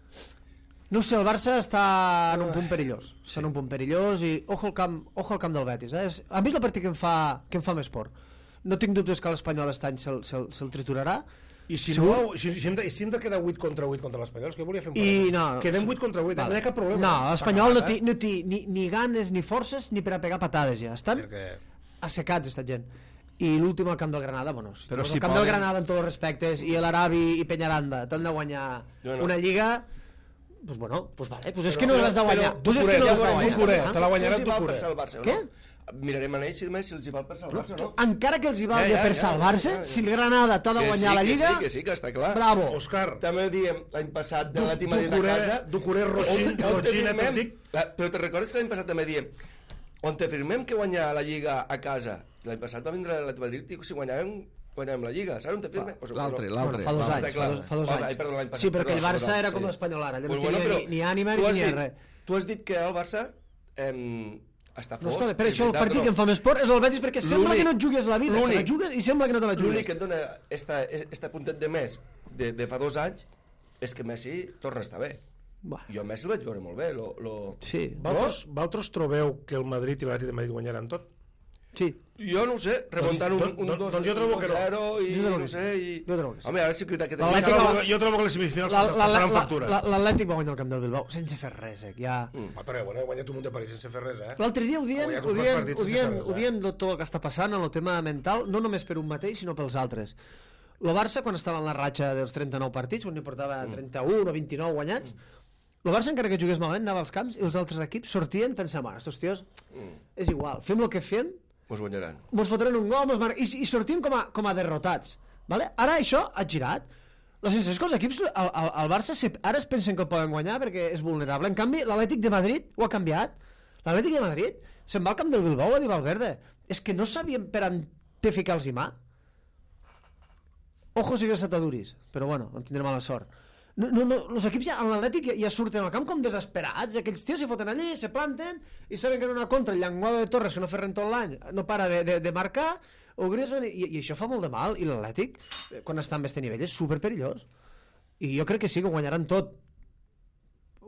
No sé, el Barça està en un punt perillós. Està en un punt perillós i ojo al camp, ojo al camp del Betis. Eh? És- A mi és el partit que em fa, que em fa més por. No tinc dubtes que l'Espanyol aquest any se'l se se triturarà. I si, Segur? no, si, si, hem de, si hem de quedar vuit contra vuit contra l'Espanyol, és que volia fer un I problema. no. Quedem vuit contra vuit, vale. No hi ha cap problema. No, S'ha l'Espanyol no acabat, té, no té ni, ni ganes, ni forces, ni per a pegar patades ja. Estan Perquè... assecats, esta gent. I l'últim al camp del Granada, bueno, si Però Però si el camp poden- del Granada en tots els respectes i l'Arabi i Peñaranda t'han de guanyar No, no. una lliga, pues bueno, pues vale, pues és Però- que no l'has de guanyar. però- Tu és que Ducuré, no ja l'has de veurem, guanyar. Ducuré, saps? te la guanyarà si els hi val Ducuré. per ser el Barça o no? Què? Mirarem a ells si més si els hi val per ser el Barça o no? Encara que els hi valgui Ja, ja, per ja, salvar-se, ja, ja. si el Granada t'ha de Que guanyar sí, la que Lliga, sí, que sí, que està clar. bravo. Òscar, També ho diem l'any passat de Du- l'Atlètic Madrid a Ducuré- casa. Ducuré, Rochin- On- on Rochin, te firmem- et dic- la- Però te recordes que l'any passat també diem on te firmem que guanyar la Lliga a casa. L'any passat va vindre l'Atlètic Madrid i si guanyàvem, guanyàvem la Lliga. Saps on te firmem? O sigui, L'altre, no. l'altre. Bueno, fa dos Està anys, clar. fa dos, fa dos Oh, anys. ai, perdó, l'any passat, Sí, però que el perdó, Barça perdó, era sí. com l'Espanyol ara, allò no Pues tenia bueno, ni, ni ànima tu ni has ni dit- res. Tu has dit que el Barça em, està No, fos. escolta, per és això el veritat, partit però que em fa més por és el Betis, perquè sembla l'únic- que no et jugues la vida, que la l'únic- jugues i sembla que no te la L'únic jugues. que et dona esta, esta puntet de més de, de fa dos anys és que Messi torna a estar bé. Buah, Jo a Messi el vaig veure molt bé. Lo, lo... sí, Vosaltres, vosaltres trobeu que el Madrid i l'Atlètic de Madrid guanyaran tot? sí. Jo no ho sé, remuntant un, Doncs- un, doncs- dos, doncs jo trobo que no. zero i Jo trobo no que sé... I... Jo trobo que sí. Home, ara sí que, que Jo tenim... L'Atlètic- trobo, jo trobo que les semifinals La- la- passaran la- factura. la- L'Atlètic va guanyar el camp del Bilbao sense fer res, eh? Ja... Mm. Ah, però bueno, he guanyat un munt de partits sense fer res, eh? L'altre dia ho dient, Ha guanyat ho uns quants dient, partits ho sense dient, fer res, ho eh? dient de tot el que està passant en el tema mental, no només per un mateix, sinó pels altres. El Barça, quan estava en la ratxa dels trenta-nou partits, on n'hi portava trenta-un o vint-i-nou guanyats, el Barça, encara que jugués malament, anava als camps i els altres equips sortien pensant, bueno, estos tios, és igual, fem el que fem, Mos guanyaran. mos fotran un gol, mos mar... I, i sortien com a, com a derrotats. Vale? Ara això ha girat. La sensació és que els equips, el, el, el Barça se, ara es pensen que el poden guanyar perquè és vulnerable. En canvi, l'Atlètic de Madrid ho ha canviat. L'Atlètic de Madrid se'n va al camp del Bilbao a dir Valverde. És que no sabien per on té ficar-los i mà. Ojo si ves ataduris, però bueno, en tindrem mala sort. No, no, no, els equips ja, en l'Atlètic ja, ja surten al camp com desesperats, aquells tios se foten allí, se planten i saben que en una contra el llenguado de Torres, que no fer res tot l'any, no para de, de, de marcar, o Griezmann, i, i això fa molt de mal, i l'Atlètic, eh, quan està en este nivell, és superperillós. I jo crec que sí, que ho guanyaran tot.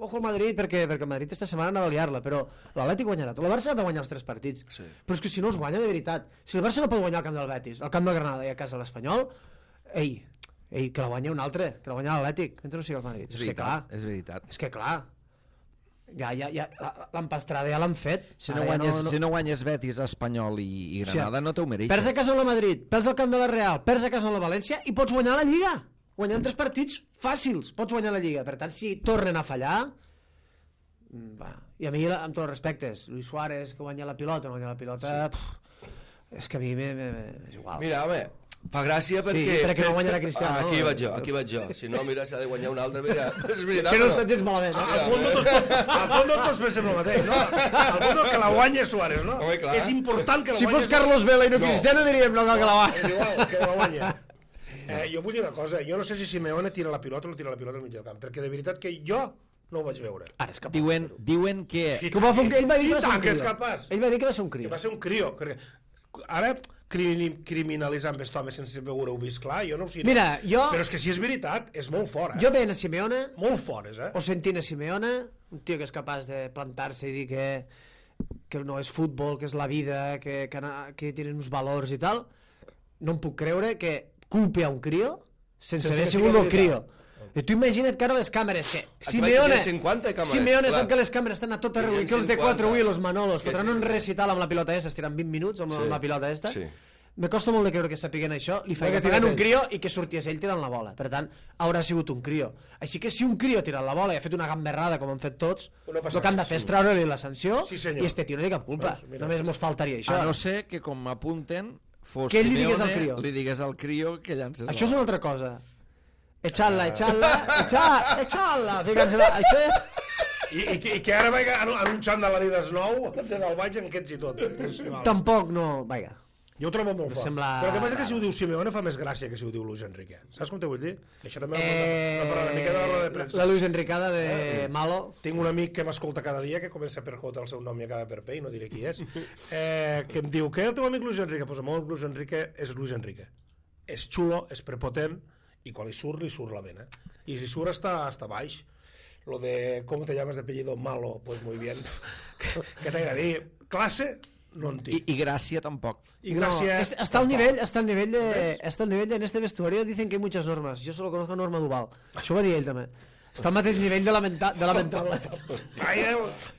Ojo al Madrid, perquè, perquè el Madrid esta setmana anava a liar-la, però l'Atlètic guanyarà tot. El Barça ha de guanyar els tres partits. Sí. Però és que si no els guanya, de veritat, si el Barça no pot guanyar al camp del Betis, al camp del Granada i a casa de l'Espanyol, ei, ei, que la guanya un altre, que la guanya l'Atlètic, mentre no sigui el Madrid. És És, que clar, veritat, és veritat. és que clar, ja, ja, ja, la- l'empastrada ja l'han fet. Si no, Ara ja guanyes, si no guanyes Betis, Espanyol i, i Granada, no t'ho mereixes. Perds a casa amb la Madrid, perds al camp de la Real, perds a casa amb la València i pots guanyar la Lliga. Guanyant tres partits fàcils, pots guanyar la Lliga. Per tant, si tornen a fallar... mm, Va. I a mi, la- amb tots els respectes, Luis Suárez, que guanya la pilota, no guanya la pilota... Sí. És que a mi me, me, me, és igual. Mira, home, fa gràcia perquè... perquè no guanyarà Cristiano, Ah, aquí no? vaig jo, aquí vaig jo. Si no, mira, s'ha de guanyar un altre, mira, és veritat, Que no però... està gens malament. Sí, Eh? Al fons tots, al fons tots pensem el mateix, no? Al fons que la guanya Suárez, no? Home, clar. És important que la Si guanya fos Carlos Vela i no, No. Cristiano diríem no cal que la va. És igual, que la guanya. Eh, jo vull dir una cosa, jo no sé si Simeone tira la pilota o no tira la pilota al mig del camp, perquè de veritat que jo no ho vaig veure. Ara és capaç. Diuen, diuen que... Que ho va fer un... Ell va dir que va ser I un tant que és crio. capaç. Ell va dir que va ser un Que crio. va ser un crio. Perquè ara crimi- criminalitzant aquest home sense veure-ho vist clar, jo no ho sé. Mira, jo- Però és que si és veritat, és molt fort, eh? Jo veient a Simeone, Molt fort, és, eh? o sentint a Simeone, un tio que és capaç de plantar-se i dir que, que no és futbol, que és la vida, que, que, na- que tenen uns valors i tal, no em puc creure que culpi a un crio sense, Sense haver que sigut sigui el crio. veritat. I tu imagina't que ara les càmeres, que Aquí Simeone, hi ha cinquanta càmeres, Simeone clar. sap que les càmeres estan a tot arreu Hi ha i que els de cinquanta. quatre avui, los Manolos, Que fotran sí, un sí. recital amb la pilota esta, estiran vint minuts amb, Sí. amb la pilota esta. Sí. Me costa molt de creure que sapiguen això, li No, feia que que tirant tira un ell. crio i que sorties ell tirant la bola. Per tant, haurà sigut un crio. Així que si un crio ha tirat la bola i ha fet una gamberrada, com han fet tots, No passa el que han de res, fer és treure-li la sanció Sí, senyor. i este tio no té cap culpa. Doncs mira. Només mos faltaria això. A no ser que, com m'apunten, fos Que ell li digués Simeone, al crio. li digués al crio que llances Això és la una altra cosa. Echarla, echarla, echar, echarla, ficant-se-la. Això és... I, i, que, i que ara vaig en, en un xandall Adidas nou de del baix en aquests i tot. Tampoc no... Vaja. Jo ho trobo molt fort. Sembla... Però el que passa és que si ho diu Simeone fa més gràcia que si ho diu Luis Enrique. Saps com te vull dir? Que això també Eh... no parla una mica de la roda de premsa. La Luis Enricada de Malo. Tinc un amic que m'escolta cada dia, que comença per J, el seu nom i acaba per P, i no diré qui és, eh, que em diu, què el teu amic Luis Enrique? Pues el meu Luis Enrique és Luis Enrique. És xulo, és prepotent, i quan li surt, li surt la vena. I si surt està, està baix. Lo de, ¿cómo te llamas de apellido? Malo, pues muy bien. Què t'he de dir? Classe, no en I, tinc. I gràcia tampoc. I gràcia... No, es, está al nivel, está al nivel de, está al nivel de, en este vestuario dicen que hay muchas normas. Yo solo conozco a Norma Duval. Això ho va dir ell també. Està al mateix nivell de, lamenta, de lamentable. Vaya,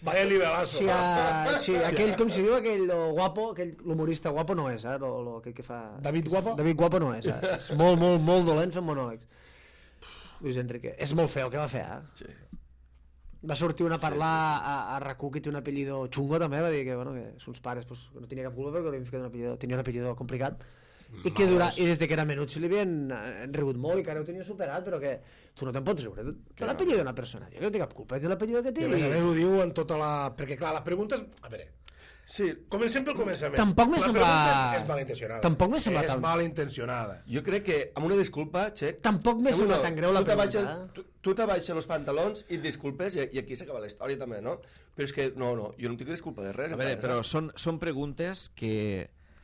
vaya nivelazo. Sí, a, sí, aquell, com si diu, aquell lo guapo, aquell l'humorista guapo no és, eh? Lo, lo, aquell que fa... David Guapo? David Guapo no és, eh? És molt, molt, molt dolent fent monòlegs. Luis Enrique. És molt feo el que va fer, eh? Sí. Va sortir una a parlar sí, sí, sí. a, a R A C U, que té un apellido xungo també, va dir que, bueno, que sus pares pues, no tenia cap culpa perquè li havien ficat un apellido, tenia un apellido complicat i que dura, i des de que era menut se li havien han rigut molt i que ara ho tenia superat, però que tu no te'n pots riure de l'apellido d'una persona, jo que no té cap culpa de l'apellido que té. I a més a més ho diu en tota la... Perquè clar, la pregunta és... A veure, Sí, comencem pel començament. Tampoc m'he la semblat- pregunta és, és malintencionada. Tampoc m'he semblat És tan- malintencionada. jo crec que amb una disculpa, Xec... Tampoc m'he segur semblat no, tan greu la tu t'abaixes- pregunta, eh? Tu, tu t'abaixes els pantalons i et disculpes i, i aquí s'acaba la història també, no? Però és que, no, no, jo no tinc disculpa de res. A veure, encara, però saps? són, són preguntes que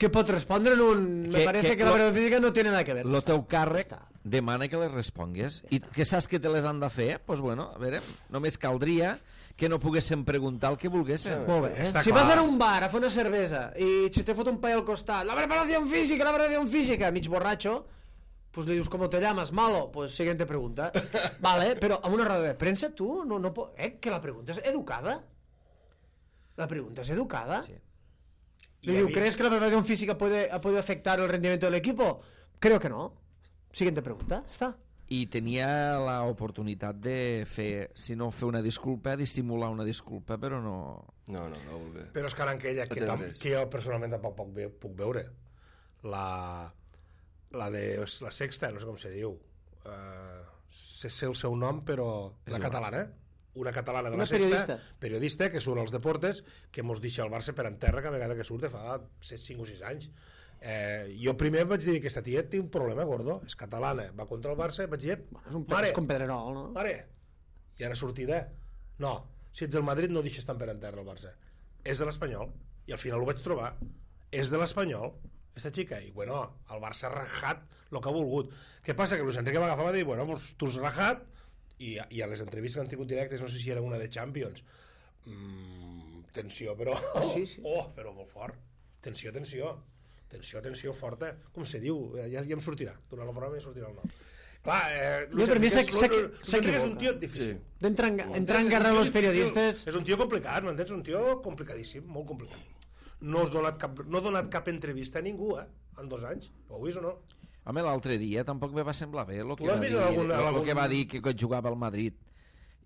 Que pot respondre en un... Me Que- parece que que la lo- verdad física no tiene nada que ver. el teu càrrec Ja està. demana que les respongues i que saps que te les han de fer, doncs pues bueno, a veure, només caldria que no poguéssim preguntar el que volguéssim. Molt bé, eh? Està Si clar. vas a un bar a fer una cervesa i si te fot un paio al costat, la preparación física, la preparación física, mig borratxo, pues le dius, ¿cómo te llamas? Malo. Pues siguiente pregunta. Vale, però amb una roda de premsa tu no, no po... Eh, que la pregunta és educada. La pregunta es educada. Sí. Le Y diu, había- ¿crees que la preparación física puede, puede afectar el rendimiento del equipo? Creo que no. Siguiente pregunta, està. I tenia l'oportunitat de fer, si no fer una disculpa, dissimular una disculpa, però no... No, no, no voler. Però és que ara en aquella que, No té tam, res. que jo personalment tampoc puc, ve, puc veure. La, la de la Sexta, no sé com se diu. Uh, sé, sé el seu nom, però... És La igual. catalana, una catalana de Una la Sexta, periodista. periodista, que surt als deportes, que mos deixa el Barça per en terra cada vegada que surt de fa cinc o sis anys. Eh, jo primer vaig dir que aquesta tia té un problema gordo, és catalana, va contra el Barça, vaig dir, És un mare, és com Pedrerol, no? mare, i ara sortida, no, si ets del Madrid no deixes tan per en terra el Barça, és de l'Espanyol, i al final ho vaig trobar, és de l'Espanyol, esta xica, i bueno, el Barça ha rajat el que ha volgut. Què passa? Que Luis Enrique va agafar i va dir, bueno, pues, tu has rajat, i, i a les entrevistes que han tingut directes, no sé si era una de Champions, mm, tensió, però... sí, sí. Oh, però molt fort. Tensió, tensió. Tensió, tensió forta. Com se diu? Ja, ja em sortirà. Durant el programa ja sortirà el nom. Clar, eh, No, per mi Enrique és- s'equi- Luis Enrique és un tio difícil. Sí. D'entrar en, entrar en És un guerra tio amb els difícil. periodistes... És un tio complicat, m'entens? Un tio complicadíssim, molt complicat. No has donat cap, no ha donat cap entrevista a ningú, eh? En dos anys. Ho heu vist o no? Home, l'altre dia tampoc me va semblar bé el Tu que, l'has va vist dir, en algun- en el, algun- que va dir que, que jugava al Madrid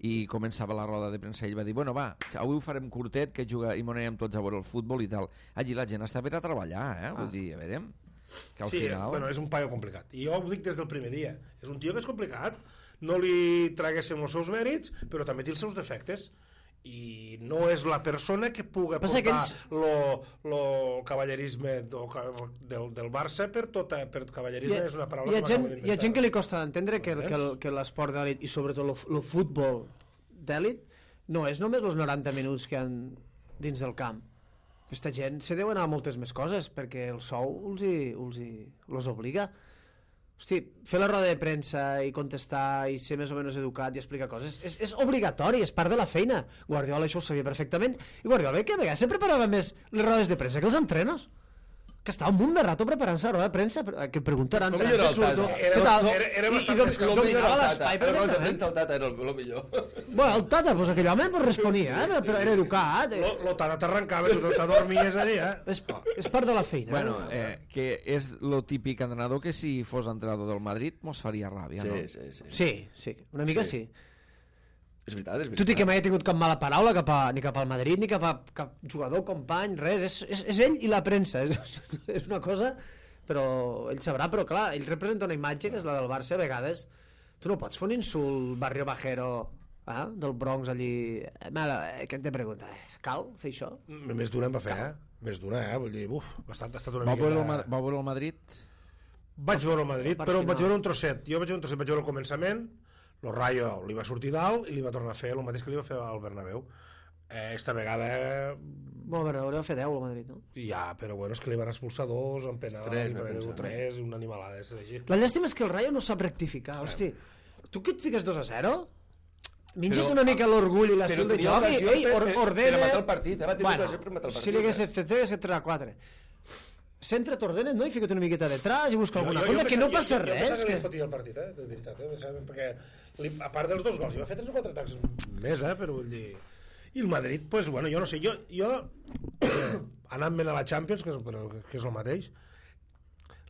i començava la roda de premsa i ell va dir, bueno va, avui ho farem curtet que juga, i m'ho anem tots a veure el futbol i tal. Allí la gent està per a treballar, eh? Vull dir, a veure, que al Sí, final... bueno, és un paio complicat. I jo ho dic des del primer dia. És un tio que és complicat. No li traguéssim els seus mèrits, però també té els seus defectes. I no és la persona que puga Passa portar que ells- lo, lo cavallerisme do, del, del Barça per tota... Per cavallerisme és una paraula hi ha, que gent, m'acabo hi ha gent que li costa d'entendre que, el- que, el- Entens? que l'esport d'èlit i sobretot el, el futbol d'èlit no és només els noranta minuts que han dins del camp. Aquesta gent se deu anar a moltes més coses perquè el sou els, hi, els, hi, els obliga. Hosti, fer la roda de premsa i contestar i ser més o menys educat i explicar coses és, és obligatori, és part de la feina. Guardiola això ho sabia perfectament i Guardiola que a vegades se preparava més les rodes de premsa que els entrenos, que estava un munt de rato preparant-se a la roda de premsa, que preguntaran Com era el Tata? Era- què tal? era- era I- i bastant dom- més calm. dominava l'espai El de perfectament. premsa el Tata era el, el millor. Bueno, el Tata, pues aquell home pues, responia, eh? però era educat. Eh? Lo, lo Tata t'arrencava, tu te dormies allà, eh? És, és part de la feina. Bueno, eh? eh, que és lo típic entrenador que si fos entrenador del Madrid mos faria ràbia, Sí, no? sí, sí. Sí, sí, una mica sí. Sí. És veritat, és veritat. Tot i que mai he tingut cap mala paraula cap a, ni cap al Madrid, ni cap a cap jugador, company, res. És, és, és ell i la premsa. És, és una cosa... Però ell sabrà, però clar, ell representa una imatge que és la del Barça a vegades. Tu no pots fer un insult barrio bajero eh? del Bronx allí. Eh, Mala, eh, què te pregunta? Eh, cal fer això? Més d'una em va fer, eh? Més d'una, eh? Vull dir, uf, ha estat, ha estat una Va mica... veure el, Ma- va veure el Madrid? Vaig veure el Madrid, part però final. vaig veure un trosset. Jo vaig veure un trosset, vaig veure el començament, el Rayo li va sortir dalt i li va tornar a fer el mateix que li va fer al Bernabéu. Eh, esta vegada... Eh, Molt bé, hauria de fer deu al Madrid, no? ja, però bueno, és que li van expulsar dos, en penal, Tres, i m'he per pensat. tres, una animalada. És així. La llàstima és que el Rayo no sap rectificar, hosti. Tu que et fiques dos a zero? Minja't Però- una mica l'orgull i Però l'estil de tenia joc i ocasió ei, per- or, per- ordena... per matar el partit, eh? Va tenir ocasió per matar el Si partit, li hagués eh? fet tres, tres a quatre. Centra, t'ordenes, no? I fica't una miqueta detrás i busca alguna Jo- jo cosa, que no pensava- passa jo, jo, jo res. pensava que Que... li fotia el partit, eh? De veritat, eh? Pensava, perquè li, a part dels dos gols, hi va fer tres o quatre atacs més, eh? Però vull dir... I el Madrid, pues, bueno, jo no sé, jo, jo eh, anant-me'n a la Champions, que és, però, que és el mateix,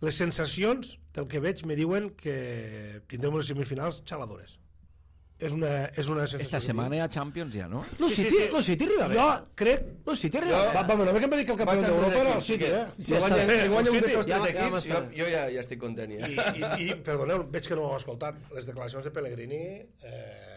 les sensacions del que veig me diuen que tindrem unes semifinals xaladores. És una, és una sensació. Esta que setmana hi ha Champions ja, no? Lo Sí, sí, City, sí. lo City arriba bé. Jo crec... Lo City arriba Jo- bé. Va, va, bueno, que em va dir que el campió Vaig d'Europa era el entendre City, que- eh? Si Ja guanya, està. si guanya El un City, d'estos ja- tres ja equips, m'està. jo, jo ja, ja estic content, ja. I, i, i perdoneu, veig que no ho heu escoltat. Les declaracions de Pellegrini... Eh,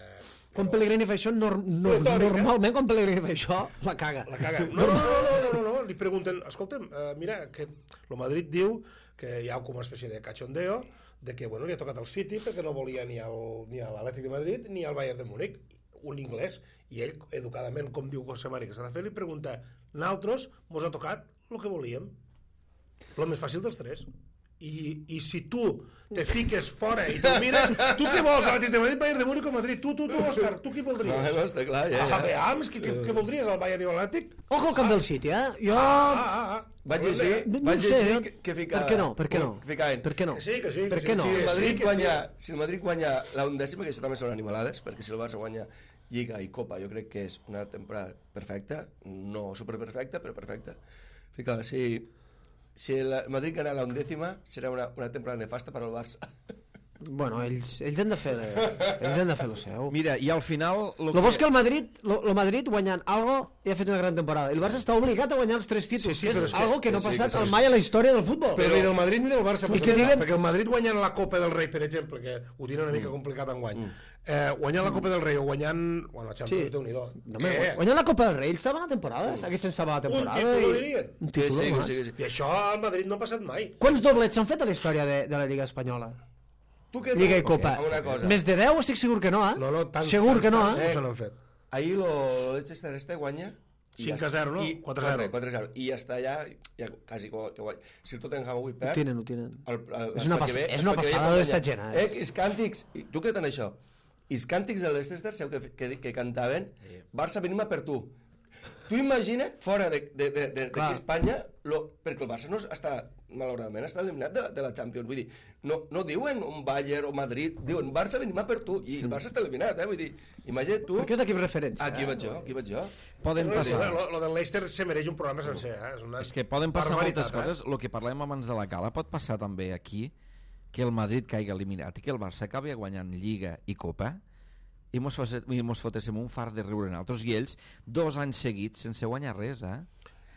Quan Pellegrini fa això, nor no, Retòrica. normalment quan Pellegrini fa això, la caga. La caga. No, no, no, no, no, no, no. Li pregunten, escolta'm, uh, mira, que el Madrid diu que hi ha com una espècie de cachondeo de que, bueno, li ha tocat al City perquè no volia ni al, ni a l'Atlètic de Madrid ni al Bayern de Múnich, un inglès. I ell, educadament, com diu José Mari que s'ha de fer, li pregunta, nosaltres mos ha tocat el que volíem. El més fàcil dels tres. I, i si tu te fiques fora i te'l mires, tu què vols? L'Atlètic de Madrid, Bayern de Múnich o Madrid? Tu, tu, tu, Òscar, tu qui voldries? No, no, està clar, ja, Ah, ja. veams, què, què, què voldries, el Bayern i l'Atlètic? Ojo al camp del City, eh? Jo... Ah, ah, ah. Vaig llegir, No vaig sé, llegir jo- que, que ficava... Per què no? Per què no? Que ficaven. Per què no? Que sí, que sí, Per que què sí. no? Si el Sí, Madrid que sí. guanya, si el Madrid guanya la undècima, que això també són animalades, perquè si el Barça guanya Lliga i Copa, jo crec que és una temporada perfecta, no superperfecta, però perfecta. Fica, si, si el Madrid gana la undècima, serà una, una temporada nefasta per al Barça. Bueno, ells, ells han de fer ells han de fer el seu. Mira, i al final... Lo Lo bo és que el Madrid, lo, lo Madrid guanyant algo i ha fet una gran temporada. El Barça està obligat a guanyar els tres títols, Sí, sí, que però és és que- algo que no ha sí, passat que sí. mai a la història del futbol. Però ni del Madrid ni del Barça, I perquè, que diguen- perquè el Madrid guanyant la Copa del Rei, per exemple, que ho tenen una mica complicat enguany, eh, guanyant la Copa del Rei o guanyant... Bueno, la Champions, Sí. Déu-n'hi-do. No, home, Què? guanyant la Copa del Rei, ells saben la temporada, haguessin salvat la Un temporada. títol, i- dirien? Un Sí, títol, sí, només. sí, sí. I això al Madrid no ha passat mai. Quants doblets s'han fet a la història de, de la Lliga Espanyola? Tu què Lliga i Copa. Amb una cosa. Més de deu estic segur que no, eh? No, no, tants, segur tants, que no, tants eh? no se n'han fet. Ahir lo Leicester este guanya i cinc ja a zero, no? I quatre a zero. quatre a zero. I ja està allà, ja quasi que que guanya. Si el Tottenham avui Ho perd... tenen, ho tenen. El, el, És una l'any que pas- ve- és una l'any que ve passada pot d'esta guanyar. gent, eh? Eh, els càntics... i Tu què tan això? I els càntics de l'Leicester, sabeu que, que, que cantaven? Barça, venim a per tu. Tu imagina't, fora de, de, de, de, Clar. d'aquí a Espanya, lo, perquè el Barça no està, malauradament, està eliminat de la, de la Champions. Vull dir, no, no diuen un Bayern o Madrid, diuen Barça, venim a per tu, i el Barça està eliminat, eh? Vull dir, imagina't tu... Perquè és d'equip referència. Aquí vaig jo, aquí vaig jo. Poden Lo, passar... lo, lo del Leicester se mereix un programa sencer, eh? És, una És que poden passar barbaritat, moltes coses. El que parlem abans de la gala pot passar també aquí que el Madrid caigui eliminat i que el Barça acabi guanyant Lliga i Copa i mos, fos, i mos fotéssim un far de riure en altres i ells dos anys seguits sense guanyar res, eh?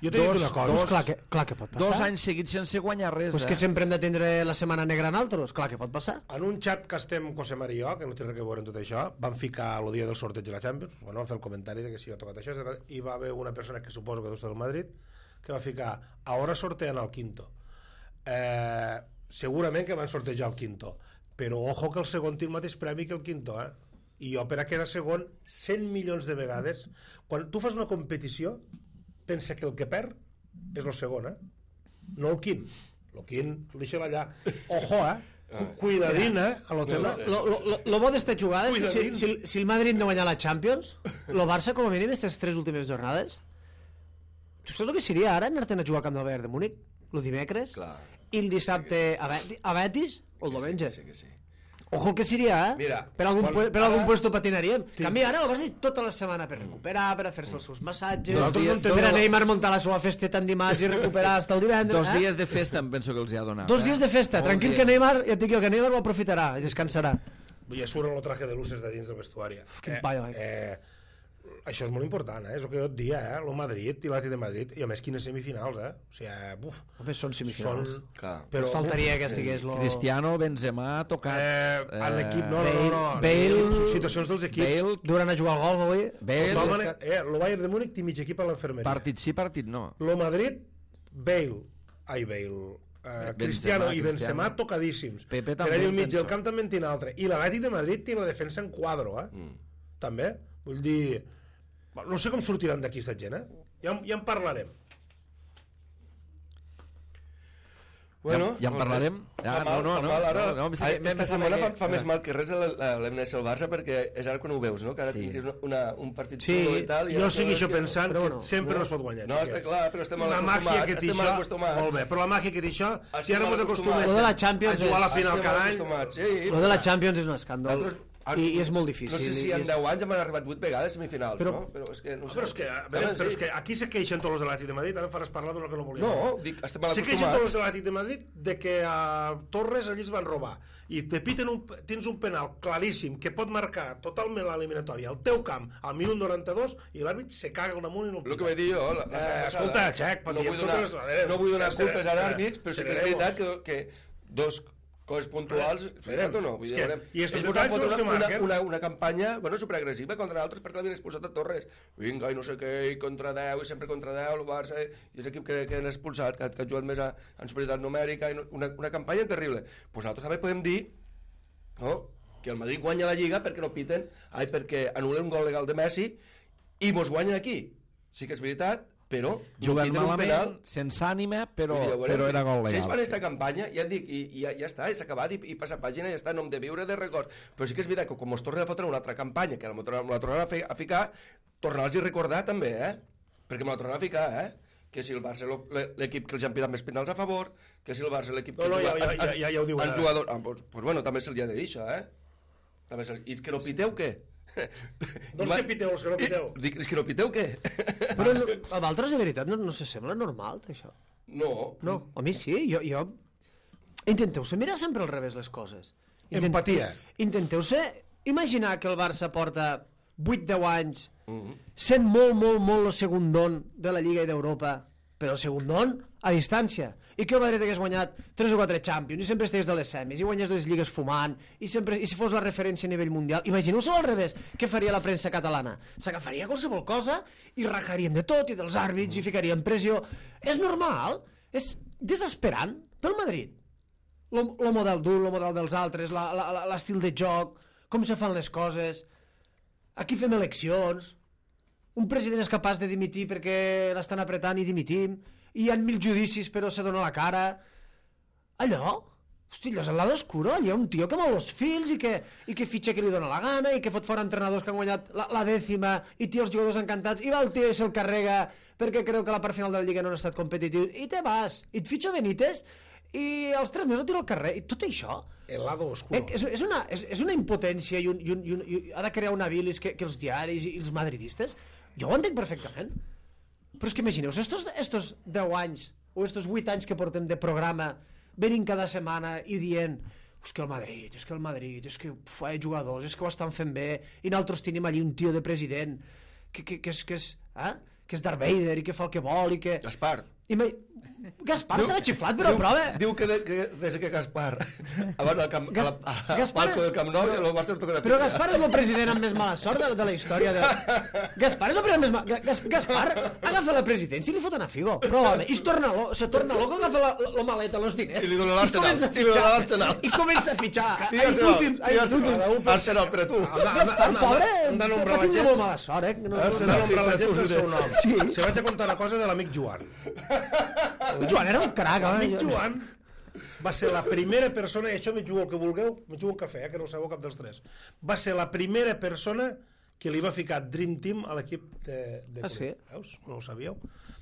Jo t'he dit Dos- una cosa. Doncs clar que, clar que pot passar. Dos anys seguits sense guanyar res, Pues eh? que sempre hem de tindre la setmana negra en altres. Clar que pot passar. En un xat que estem, José Mari i jo, que no té res a veure amb tot això, vam ficar el dia del sorteig de la Champions, bueno, vam fer el comentari de que si ha tocat això, i va haver una persona que suposo que deu estar del Madrid, que va ficar, ahora sortean el quinto. Eh, segurament que van sortejar el quinto, però ojo que el segon té el mateix premi que el quinto, eh? I jo per a quedar segon cent milions de vegades. Quan tu fas una competició, pensa que el que perd és el segon, eh? No el quint. El quint, deixa'l allà. Ojo, eh? Cu- Cuidadín, eh? A lo tema. Lo, lo, lo, lo bo d'esta jugada és que si, Cuidadín. si, si el Madrid no guanya la Champions, el Barça com a mínim aquestes tres últimes jornades, tu saps el que seria ara anar-te'n a jugar al camp del Bayern de Múnich el dimecres Clar. i el dissabte a, Beti, a Betis o el diumenge? Sí, que sí. Ojo el que seria, eh? Mira, per algun, quan- pu- per algun ara- puesto patinaríem. En canvi, ara el Barça té tota la setmana per recuperar, per a fer-se els seus massatges, Nosaltres no en per tenim- a Neymar muntar la seva festeta en dimarts i recuperar fins el divendres. Dos eh? dies de festa em penso que els hi ha donat. Dos eh? dies de festa, Molt tranquil bé. que Neymar, ja et dic jo, que Neymar ho aprofitarà i descansarà. Ja surt el traje de luces de dins del vestuari. quin paio, eh? eh, això és molt important, eh? És el que jo et dia, eh? El Madrid i l'Atlètic de Madrid, i a més quines semifinals, eh? O sigui, buf. Home, són semifinals. Són... Clar. Però, Ens faltaria buf, que estigués lo... Cristiano, Benzema, tocats... Eh, en l'equip, no, no, no, no. Bale, situacions dels equips. Bale, Durant a jugar al gol, avui. Bale, Home, eh, el Bayern de Múnich té mig equip a l'enfermeria. partit sí, partit no. Lo Madrid, Bale, ai, Bale, uh, Cristiano i Benzema Cristiano. tocadíssims. Pepe Per també, allà al mig penso. del camp també en té un altre. I l'Atlètic de Madrid té la defensa en quadro, eh? Mm. També. Vull dir... No sé com sortiran d'aquí aquesta gent, eh? Ja, ja en parlarem. Bueno, ja en parlarem. Ja, fa mal, no, no, fa no, mal, ara, no, no, sí ai, que m'hem esta de setmana saber fa, que- fa més mal que res l'eliminació del Barça, perquè és ara quan ho veus, no? Que ara Sí. tinguis una, una, un partit Sí, xulo i tal... i jo ara segueixo que- pensant però que bueno, sempre no. no es pot guanyar. No, està xiquets. clar, però estem I mal la màgia acostumats, que té estem mal això... acostumats. Molt bé, però la màgia que té això, si Estem ara mal mos acostumem acostumats. Lo de la Champions a jugar a la és- final Estem cada any... acostumats, sí, Lo de la Champions és un escàndol. Nosaltres- I, I és molt difícil. No sé si i en és- deu anys hem arribat vuit vegades a semifinals, Però- no? Però és que... No Ah, sé. però és que, a veure, Home, però sí. és que aquí se queixen tots els de l'Atlètic de Madrid, ara em faràs parlar d'una que no volia. No, dic, estem mal Se queixen tots els acostumats. de l'Atlètic de Madrid de que a Torres allí es van robar i te piten un, tens un penal claríssim que pot marcar totalment l'eliminatòria al teu camp al minut noranta-dos i l'àrbit se caga al damunt i no el El que pita. vaig dir jo... La, la Eh, setmana escolta, passada, Xec, no patim vull donar, totes les- no vull donar seré- culpes a seré- l'àrbits, però sí que és seré- veritat que, que dos coses puntuals, veritat o no? Vull És dir, que- veurem. i estos Ells detalls van són els fotre que una, marquen. una, una campanya bueno, superagressiva contra altres perquè l'havien expulsat a Torres. Vinga, i no sé què, i contra deu, i sempre contra deu, el Barça, i és l'equip que, que han expulsat, que, que ha jugat més a, en superioritat numèrica, i no- una, una campanya terrible. Pues nosaltres també podem dir no? que el Madrid guanya la Lliga perquè no piten, ai, perquè anul·len un gol legal de Messi i mos guanyen aquí. Sí que és veritat, però Jugant piten un penal, malament, sense ànima, però, vull dir, veurem, però era gol si ells legal. fan aquesta campanya, ja et dic, i, i ja, ja està, i s'ha acabat, i, i passa pàgina, i ja està, no hem de viure de records. Però sí que és veritat que com ens tornen a fotre una altra campanya, que me la tornaran a, fer, a ficar, tornar-los a recordar també, eh? Perquè me la tornaran a ficar, eh? Que si el Barça l'equip que els han pitat més penals a favor, que si el Barça l'equip que No, no, juga- ja- ja- ja- ja- ja ho diuen en ara. jugador, ah, pues, pues bueno, també se'ls ha de dir això, eh? També se'ls... I és que no piteu, què? Doncs què piteu, els que no piteu? I, dic, és que no piteu, què? Però no, a d'altres, de veritat, no, no se sembla normal, això. No. No, a mi sí, jo... jo... Intenteu-se mirar sempre al revés les coses. Empatia. Intenteu-se imaginar que el Barça porta vuit deu anys Mhm. sent molt, molt, molt el segundón de la Lliga i d'Europa, però el segundón a distància, i que el Madrid hagués guanyat tres o quatre Champions, i sempre estigués de les semis, i guanyés les lligues fumant, i, sempre, i si fos la referència a nivell mundial. Imagineu-se al revés, què faria la premsa catalana? S'agafaria qualsevol cosa i rajaríem de tot, i dels àrbits, i ficaríem pressió. És normal, és desesperant pel Madrid. El model dur, el model dels altres, la- la- la- l'estil de joc, com se fan les coses. Aquí fem eleccions, un president és capaç de dimitir perquè l'estan apretant i dimitim, i hi ha mil judicis però se dona la cara. Allò, hosti, allò és el lado oscuro, allò hi ha un tio que mou els fils i que, i que fitxa que li dona la gana i que fot fora entrenadors que han guanyat la, la dècima i té els jugadors encantats, i va el tio i se'l carrega perquè creu que la part final de la Lliga no han estat competitius, i te vas, i et fitxa Benítez i als tres mesos el tira al carrer, i tot això El lado oscuro. Eh, és, és, una, és, és una impotència i, un, i, un, i, un, i ha de crear una bilis que, que els diaris i els madridistes, jo ho entenc perfectament, però és que imagineu-vos estos, estos deu anys o estos vuit anys que portem de programa venint cada setmana i dient és que el Madrid, és que el Madrid, és que uf, hi ha jugadors, és que ho estan fent bé, i nosaltres tenim allí un tio de president que, que, que, és, que, és, eh? que és Darth Vader i que fa el que vol i que... Gaspar. Ima... Gaspar estava xiflat, però diu, prova... Diu que, de, que des que Gaspar abans al camp, Gas- a la, a, Gaspar palco és- del Camp Nou i el Barça el toca de Però picar. Gaspar és el president amb més mala sort de, de la història de... Gaspar és el president amb més mala... Gas, Gaspar agafa la presidència i li foten a Figo. Prova-me. I es torna, lo, se torna loco, agafa la, la, la maleta, els diners. I li dona l'Arsenal. comença a I li dona fitxar. l'Arsenal. I comença a fitxar. Di Ai, Arsenal, últims, ai, di Arsenal. últims. Arsenal per a tu. Gaspar, pobre, hem de va nombrar la tindre gent. molt mala sort, eh? No, Arsenal. Hem de nombrar la gent pel seu nom. Sí. Se vaig a contar una cosa de l'amic Joan. El Joan era un crac, home. L'amic Joan va ser la primera persona, i això m'hi jugo el que vulgueu, m'hi jugo un cafè, eh, que no ho sabeu cap dels tres, va ser la primera persona que li va ficar Dream Team a l'equip de, de Ah, sí? Veus? No ho sabíeu?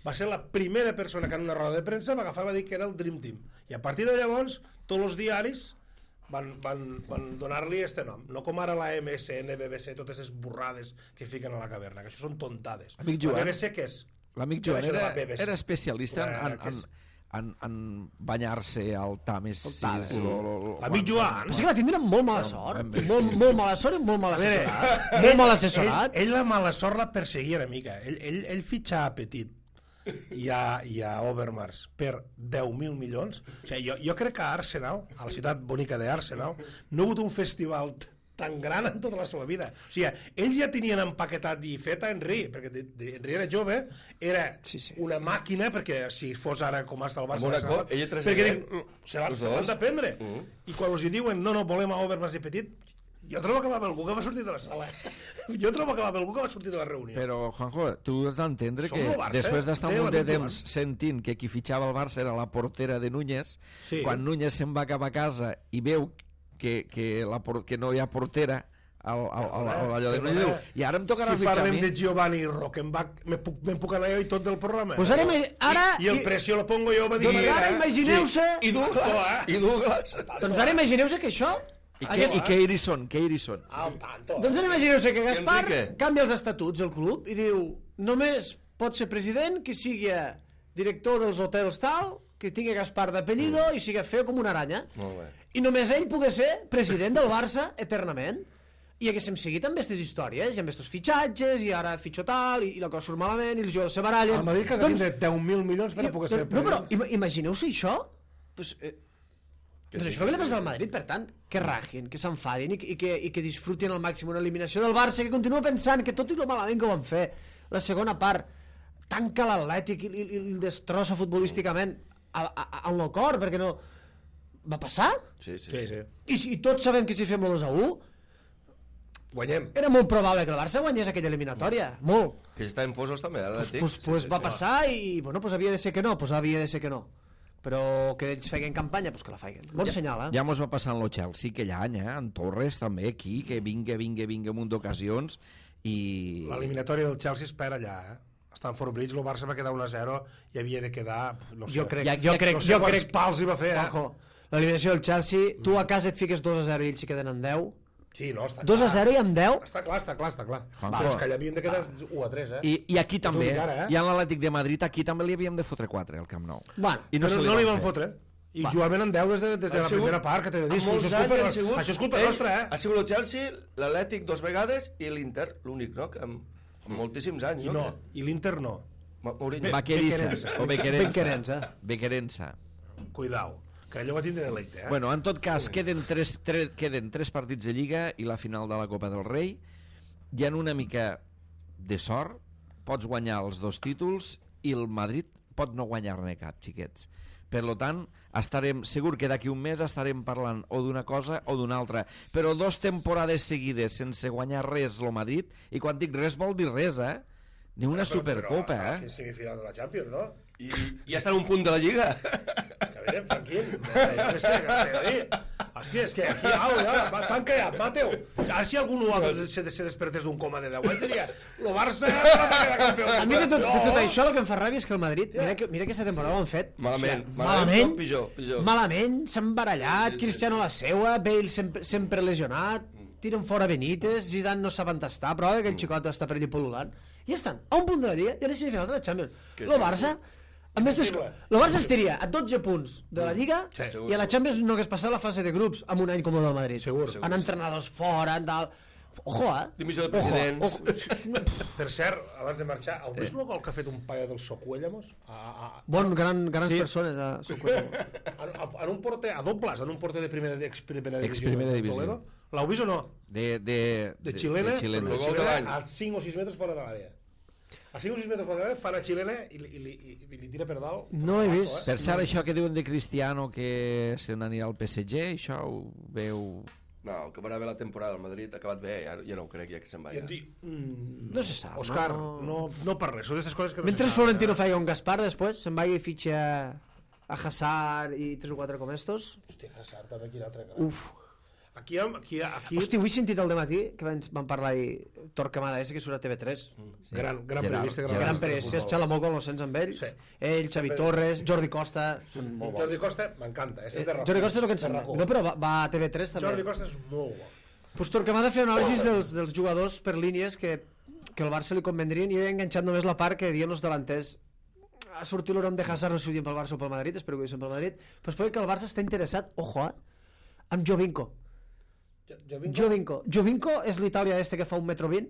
Va ser la primera persona que en una roda de premsa va agafar i va dir que era el Dream Team. I a partir de llavors, tots els diaris van, van, van donar-li este nom. No com ara la M S N, B B C, totes les burrades que fiquen a la caverna, que això són tontades. Amic Joan. La B B C què és? L'amic Què Joan va això de era, la B B C? era especialista en, Eh, en, que en, és- en, en banyar-se al Tames sis. L'amic Joan. Però sí que va tindre molt mala sort. ben bé, Molt, sí, molt mala sort i molt mal assessorat. Molt mal assessorat. Ell, ell la mala sort la perseguia una mica. Ell, ell, ell fitxa a Petit i a, i a Overmars per deu mil milions. O sigui, jo, jo crec que a Arsenal, a la ciutat bonica d'Arsenal, no ha hagut un festival tan gran en tota la seva vida. O sigui, ells ja tenien empaquetat i fet a Henry, perquè de, de, Henry era jove, era Sí, sí. una màquina, perquè si fos ara com està el Barça... Amb una se la- cop, ella tres perquè anys, dic, se l'han els se dos. l'han d'aprendre. Mm. I quan els hi diuen, no, no, volem a Overmars i Petit, jo trobo que va haver algú que va sortir de la sala. Jo trobo que va haver algú que va sortir de la reunió. Però, Juanjo, tu has d'entendre Som que lo Barça, després d'estar té un munt de l'amic temps sentint que qui fitxava el Barça era la portera de Núñez, Sí. quan Núñez se'n va cap a casa i veu que, que, la, por- que no hi ha portera al, al, al, al, allò de Perdona, Núñez, diu, i ara em tocarà si fitxar a parlem mi. de Giovanni Rockenbach, me puc, me puc anar jo i tot del programa. Pues ara, ima- ara, I, I el precio lo pongo jo, va dir... doncs ara imagineu-se... I Douglas, i Douglas. Doncs ara imagineu-se que això... I, que, hagués- i Keirison, Keirison. Al tanto. Doncs ara imagineu-se que Gaspar Enrique. canvia els estatuts del club i diu només pot ser president qui sigui director dels hotels tal, que tingui Gaspar d'apellido mm. i sigui feo com una aranya. Molt bé. I només ell pugui ser president del Barça eternament. I haguéssim seguit amb aquestes històries, i amb aquests fitxatges, i ara fitxo tal, i, i la cosa surt malament, i els jugadors se barallen... El Madrid que has de tindre deu mil milions per a i- poder ser no, però president. ima- imagineu-se això? Pues, eh, Que doncs sí, això és el que li que passa sí. al Madrid, per tant, que ragin, que s'enfadin i, que- i, que, i que disfrutin al màxim una eliminació del Barça, que continua pensant que tot i lo malament que ho van fer, la segona part tanca l'Atlètic i, i, i el destrossa futbolísticament a- a- a- al no cor, perquè no... Va passar? Sí, sí, Sí, sí. sí. I, si- i tots sabem que si fem el dos a u, Guanyem. era molt probable que el Barça guanyés aquella eliminatòria, molt. Que està en Fosos també, Pues, l'Atlètic. pues, pues va passar i, bueno, pues havia de ser que no, pues havia de ser que no. Però que ells feien campanya, pues que la feien. Bon ja, senyal, eh? Ja mos va passar en lo Chelsea aquell any, eh? En Torres també aquí, que vinga, vinga, vinga un munt d'ocasions i... L'eliminatòria del Chelsea es perd allà, eh? A Stamford Bridge, el Barça va quedar un a zero i havia de quedar... No sé, Jo crec, Ja- jo ja- crec, no sé jo quants crec... pals hi va fer, eh? Ojo, l'eliminació del Chelsea, tu a casa et fiques dos a zero i ells s'hi queden en deu. Sí, no, està dos a clar. zero i en deu? Està clar, està clar, està clar. Juanjo. Però és que allà havíem de quedar u a tres, eh? I, I aquí també, dic ara, eh? i en l'Atlètic de Madrid, aquí també li havíem de fotre quatre al Camp Nou. Bueno, I no, se no li van fer. fotre. I jugaven en deu des de, des de Han la sigut- primera part, que t'he de dir. en molts Això és culpa, anys han sigut- això és culpa ell- nostra, eh? Ha sigut el Chelsea, l'Atlètic dos vegades i l'Inter, l'únic, no? Que amb, amb moltíssims anys, I no? no, i l'Inter no. Ma- Mourinho. Vaqueriza, Bequerensa. o Bequerensa. Bequerensa. Bequerensa. Cuidao, que allò va tindre delicte, eh? Bueno, en tot cas, queden tres, tres, queden tres partits de Lliga i la final de la Copa del Rei. Hi ha una mica de sort, pots guanyar els dos títols i el Madrid pot no guanyar-ne cap, xiquets. Per lo tant, estarem, segur que d'aquí un mes estarem parlant o d'una cosa o d'una altra. Però dos temporades seguides sense guanyar res el Madrid, i quan dic res vol dir res, eh? Ni una Supercopa, Però, eh? semifinals de la Champions, no? I, I ja està en un punt de la Lliga. Que veiem, Franquín. Jo què sé, què t'he de dir? Hòstia, és que aquí, au, ja, va, t'han callat, Mateu. Ara si algú altre se, se despertés d'un coma de deu anys, diria, lo Barça va quedar campió. A mi de tot, de tot No. això el que em fa ràbia és que el Madrid, mira que, mira que aquesta temporada ho han fet. Malament, o sigui, malament, malament, tot pitjor, pitjor. malament, s'han barallat, Cristiano a la seua, Bale sempre, sempre lesionat, tiren fora Benítez, Zidane no saben tastar, però aquell xicot està per allà pol·lulant. I ja estan, a un punt de la Lliga i a les semifinals de la Champions. Que El sí, Barça, a més d'esco... el Barça estiria a dotze punts de la Lliga Sí, segur, i a la segur. Champions no hagués passat la fase de grups amb un any com el del Madrid. Segur, En entrenadors fora, en tal... Ojo, eh? Dimissió de Ojo, presidents. ojo. Per cert, abans de marxar, heu vist el gol que ha fet un paio del Socuellamos? A, a, Bon, gran, grans Sí. persones a Socuellamo. a, a, en un porter, a dobles, en un porter de primera, ex primera divisió. Ex-primera de divisió. Toledo. L'heu vist o no? De, de, De xilena, de xilena. de El gol de xilena l'any. a cinc o sis metres fora de l'àrea. A cinc o sis metres fora de l'àrea fa la xilena i, li- i, li- i, i li tira per dalt. No l'he vist. Per cert, això que diuen de Cristiano que se n'anirà al P S G, això ho veu... No, que va haver la temporada al Madrid, ha acabat bé, ja, ja no ho crec, ja que se'n va. I Ja. em dic, mm, No se sap, Òscar, no? no, no per res, són d'aquestes coses que no Mentre se saben. Florentino faci un Gaspar després, se'n vagi i fitxa a Hazard i tres o quatre com estos. Hòstia, Hazard també, quin altre. Uf. Aquí, aquí, aquí Hosti, avui he sentit al dematí que van, van parlar i Torquemada ese que surt a T V tres. Sí. gran, gran Gerard, periodista, Gerard. Gran periodista de Pérez, futbol. es xala molt quan lo sents amb ell. Sí. Ell, Xavi Torres, Jordi Costa, són molt bons. Jordi Costa m'encanta. Eh? Eh, Jordi Costa és el que ens sembla. No, però va, va a T V tres també. Jordi Costa és molt bo. Pues Torquemada feia anàlisis dels, dels jugadors per línies que, que el Barça li convendrien i jo he enganxat només la part que diuen els delanters ha sortit el nom de Hazard, no sé si ho diem pel Barça o pel Madrid, espero que ho diguem pel Madrid, però es pot dir que el Barça està interessat, ojo, eh, amb Jovinko. Jovinko. Jovinko és l'Itàlia este que fa un metro vint,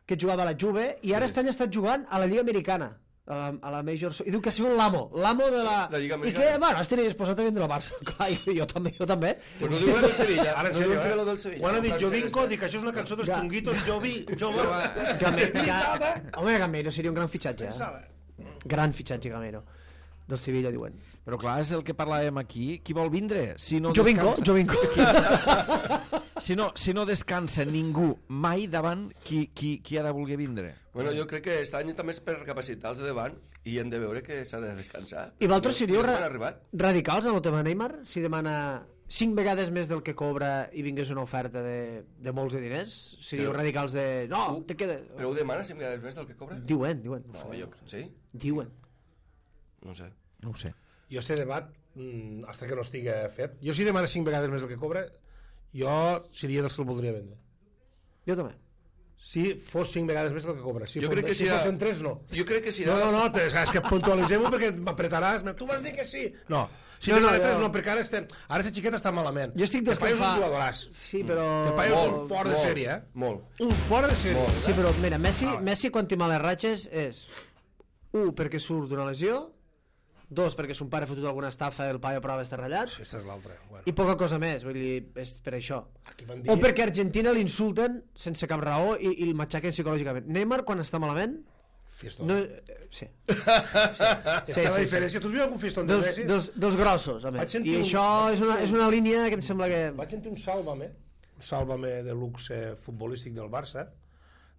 que jugava a la Juve, i ara sí. Estan estat jugant a la Lliga Americana, a la, a la Major... I diu que ha sigut l'amo, l'amo de la... La Lliga I Americana. que, bueno, estaria disposat a vendre el Barça. Clar, jo, jo també, jo també. Però no diu que del Sevilla. Ara, en no sèrio, diu que eh? lo del Sevilla. Quan ha dit Francesc Jovinko, està- dic que això és una cançó dels Ja. Chunguitos, Jovi, Jove. Gamero, ja... Home, Gamero seria un gran fitxatge, eh? Pensava. Gran fitxatge, Gamero. Del Sevilla, diuen. Però clar, és el que parlàvem aquí. Qui vol vindre? Si no Jovinko, descansa, Jovinko. si, no, si no descansa ningú mai davant, qui, qui, qui ha de voler vindre? Bueno, jo crec que aquest any també és per capacitar els de davant i hem de veure que s'ha de descansar. I vosaltres seríeu Mira ra quan ha arribat. radicals en el tema Neymar? Si demana cinc vegades més del que cobra i vingués una oferta de, de molts de diners? Seríeu Però- radicals de... No, Ho- te queda... Però ho demana cinc vegades més del que cobra? Diuen, diuen. No, jo... Sí? Diuen. No ho sé. No ho sé. Jo este debat, mm, hasta que no estigui fet, jo si demana cinc vegades més del que cobra, jo seria dels que el voldria vendre. Jo també. Si fos cinc vegades més del que cobra. Si, Jo fos, crec que si serà- fossin tres, no. Jo crec que si No, no, no, te- és que puntualitzem-ho perquè m'apretaràs. Tu vas dir que sí. No, si no, no, no, tres, no, perquè ara estem... Ara aquesta xiqueta està malament. Jo estic Te paio és desconfà- un jugadoràs. Sí, però... Te paio és Molt, un fort de molt, sèrie, eh? Molt. Un fort de sèrie. Molt. Sí, però mira, Messi, Messi quan té males ratxes és un, perquè surt d'una lesió, dos, perquè son pare ha fotut alguna estafa i el paio a prova està ratllat, Aquesta és l'altra. Bueno. i poca cosa més, vull dir, és per això. Aquí van dir... O perquè a Argentina l'insulten sense cap raó i, i el matxaquen psicològicament. Neymar, quan està malament, Fiestón. no... eh, Sí. Sí, sí, la diferència. Tu has vist algun fiestón de Dels, Messi? dels, dels grossos, a Vaig més. sentir I un- això és una, és una línia que em sembla que... Vaig sentir un sàlvame, un sàlvame de luxe futbolístic del Barça,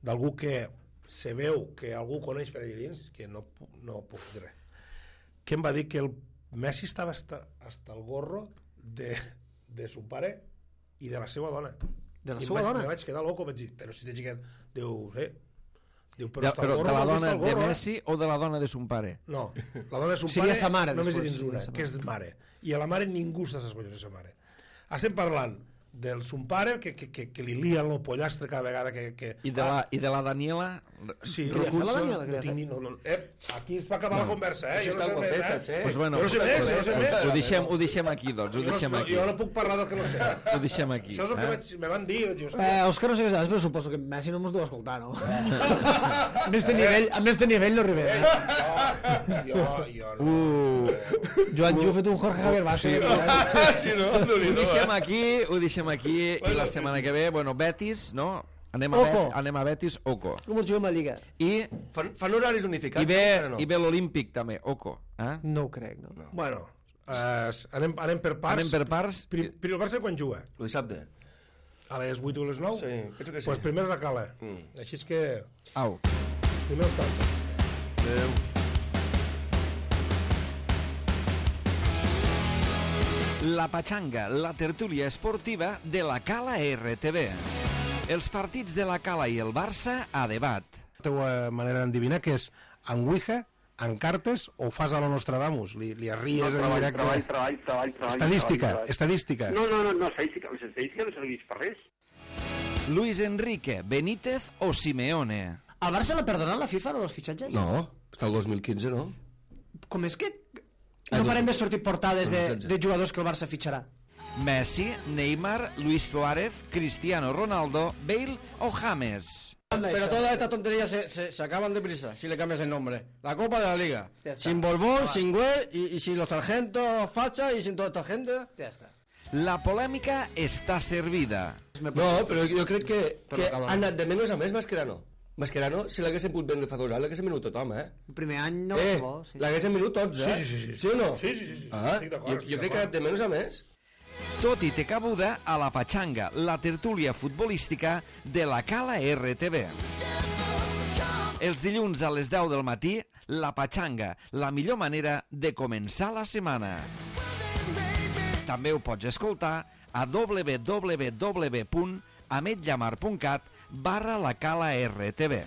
d'algú que se veu que algú coneix per allà dins, que no, pu- no puc dir res, que em va dir que el Messi estava hasta, hasta el gorro de, de su pare i de la seva dona. De la I em seva vaig, dona? Me vaig quedar loco, vaig dir, però si t'he xiquet, diu, eh, diu, però, De, està el però gorro, de la vol dir dona està el de gorro, eh? Messi o de la dona de son pare? No, la dona de son Seria pare sa mare, només hi després, dins una, sa mare. que és mare. I a la mare ningú està a ses collons de sa mare. Estem parlant del son pare que, que, que, que li lien el pollastre cada vegada que... que I de la, i de la Daniela? Sí, Què li ha fet la Recurso, Daniela? Què li ha no tinc ni... No, no, eh, aquí es va acabar la conversa, eh? Això Jo no està sé més, guapeta, eh? che. Pues bueno, Jo no sé més, jo no sé més. ho, deixem, ho deixem aquí, doncs, ho Jo no, deixem no, aquí. jo no puc parlar del que no sé. Eh? Ho deixem aquí. Això és el que eh? vaig, me van dir. Vaig dir, Eh, hòstia, Òscar, no sé què saps, però suposo que Messi no mos deu escoltar, no? amb este nivell, amb este nivell no arribem. Eh? jo, jo no. Uh, Joan Ju ha fet un Jorge Javier Vázquez. Sí, no? ho Déu-n'hi-do, deixem eh? aquí, ho deixem aquí, i la setmana que ve, bueno, Betis, no? Anem a, Oco. Bet, anem a Betis, Oco. Com els juguem a Lliga? I, Fan, fan horaris unificats? i ve, encara no? i ve l'Olímpic també, Oco. Eh? No ho crec, no? No. Bueno, eh, anem, anem per parts. Anem per parts. Pri, pri, el Barça quan juga? El dissabte? A les vuit o a les nou? Sí, penso que sí. Pues primer la cala. Mm. Així és que... Au. Primer els tants. Adéu. La Pachanga, la tertúlia esportiva de la Cala R T V. Els partits de la Cala i el Barça a debat. La teva manera d'endevinar que és en Ouija, en cartes o fas a lo Nostradamus? Li, li arries No, en treball, directe? treball, treball, treball, treball. Estadística, treball, estadística. treball. No, no, no, no, estadística, les estadístiques no serveix per res. Luis Enrique, Benítez o Simeone? Al Barça l'ha perdonat la FIFA, lo dels fitxatges? No, està el dos mil quinze, no? Com és que Ah, no dos- parem de sortir portades de, dos mil setze. de jugadors que el Barça fitxarà? Messi, Neymar, Luis Suárez, Cristiano Ronaldo, Bale o James? Pero todas estas tonterías se, se, se acaban deprisa si le cambias el nombre. La Copa de la Liga. Ya está. Sin Borbón, sin Güell y, y sin los sargentos Facha y sin toda esta gente. Ja està. La polèmica està servida. No, però jo crec que, Però que acaba. ha anat de menys a més Mascherano. Mascherano, si l'haguessin pogut vendre fa dos anys, l'haguessin venut tothom, eh? El primer any no eh, va bo, sí. l'haguessin venut tots, eh? Sí, sí, sí, sí. Sí o no? Sí, sí, sí, sí. Ah, Estic d'acord, jo, estic jo crec que ha d'acord. anat de menys a més. Tot i té cabuda a la Pachanga, la tertúlia futbolística de la Cala R T V. Els dilluns a les deu del matí, la Pachanga, la millor manera de començar la setmana. També ho pots escoltar a w w w punt ametllamar punt cat barra la Cala R T V.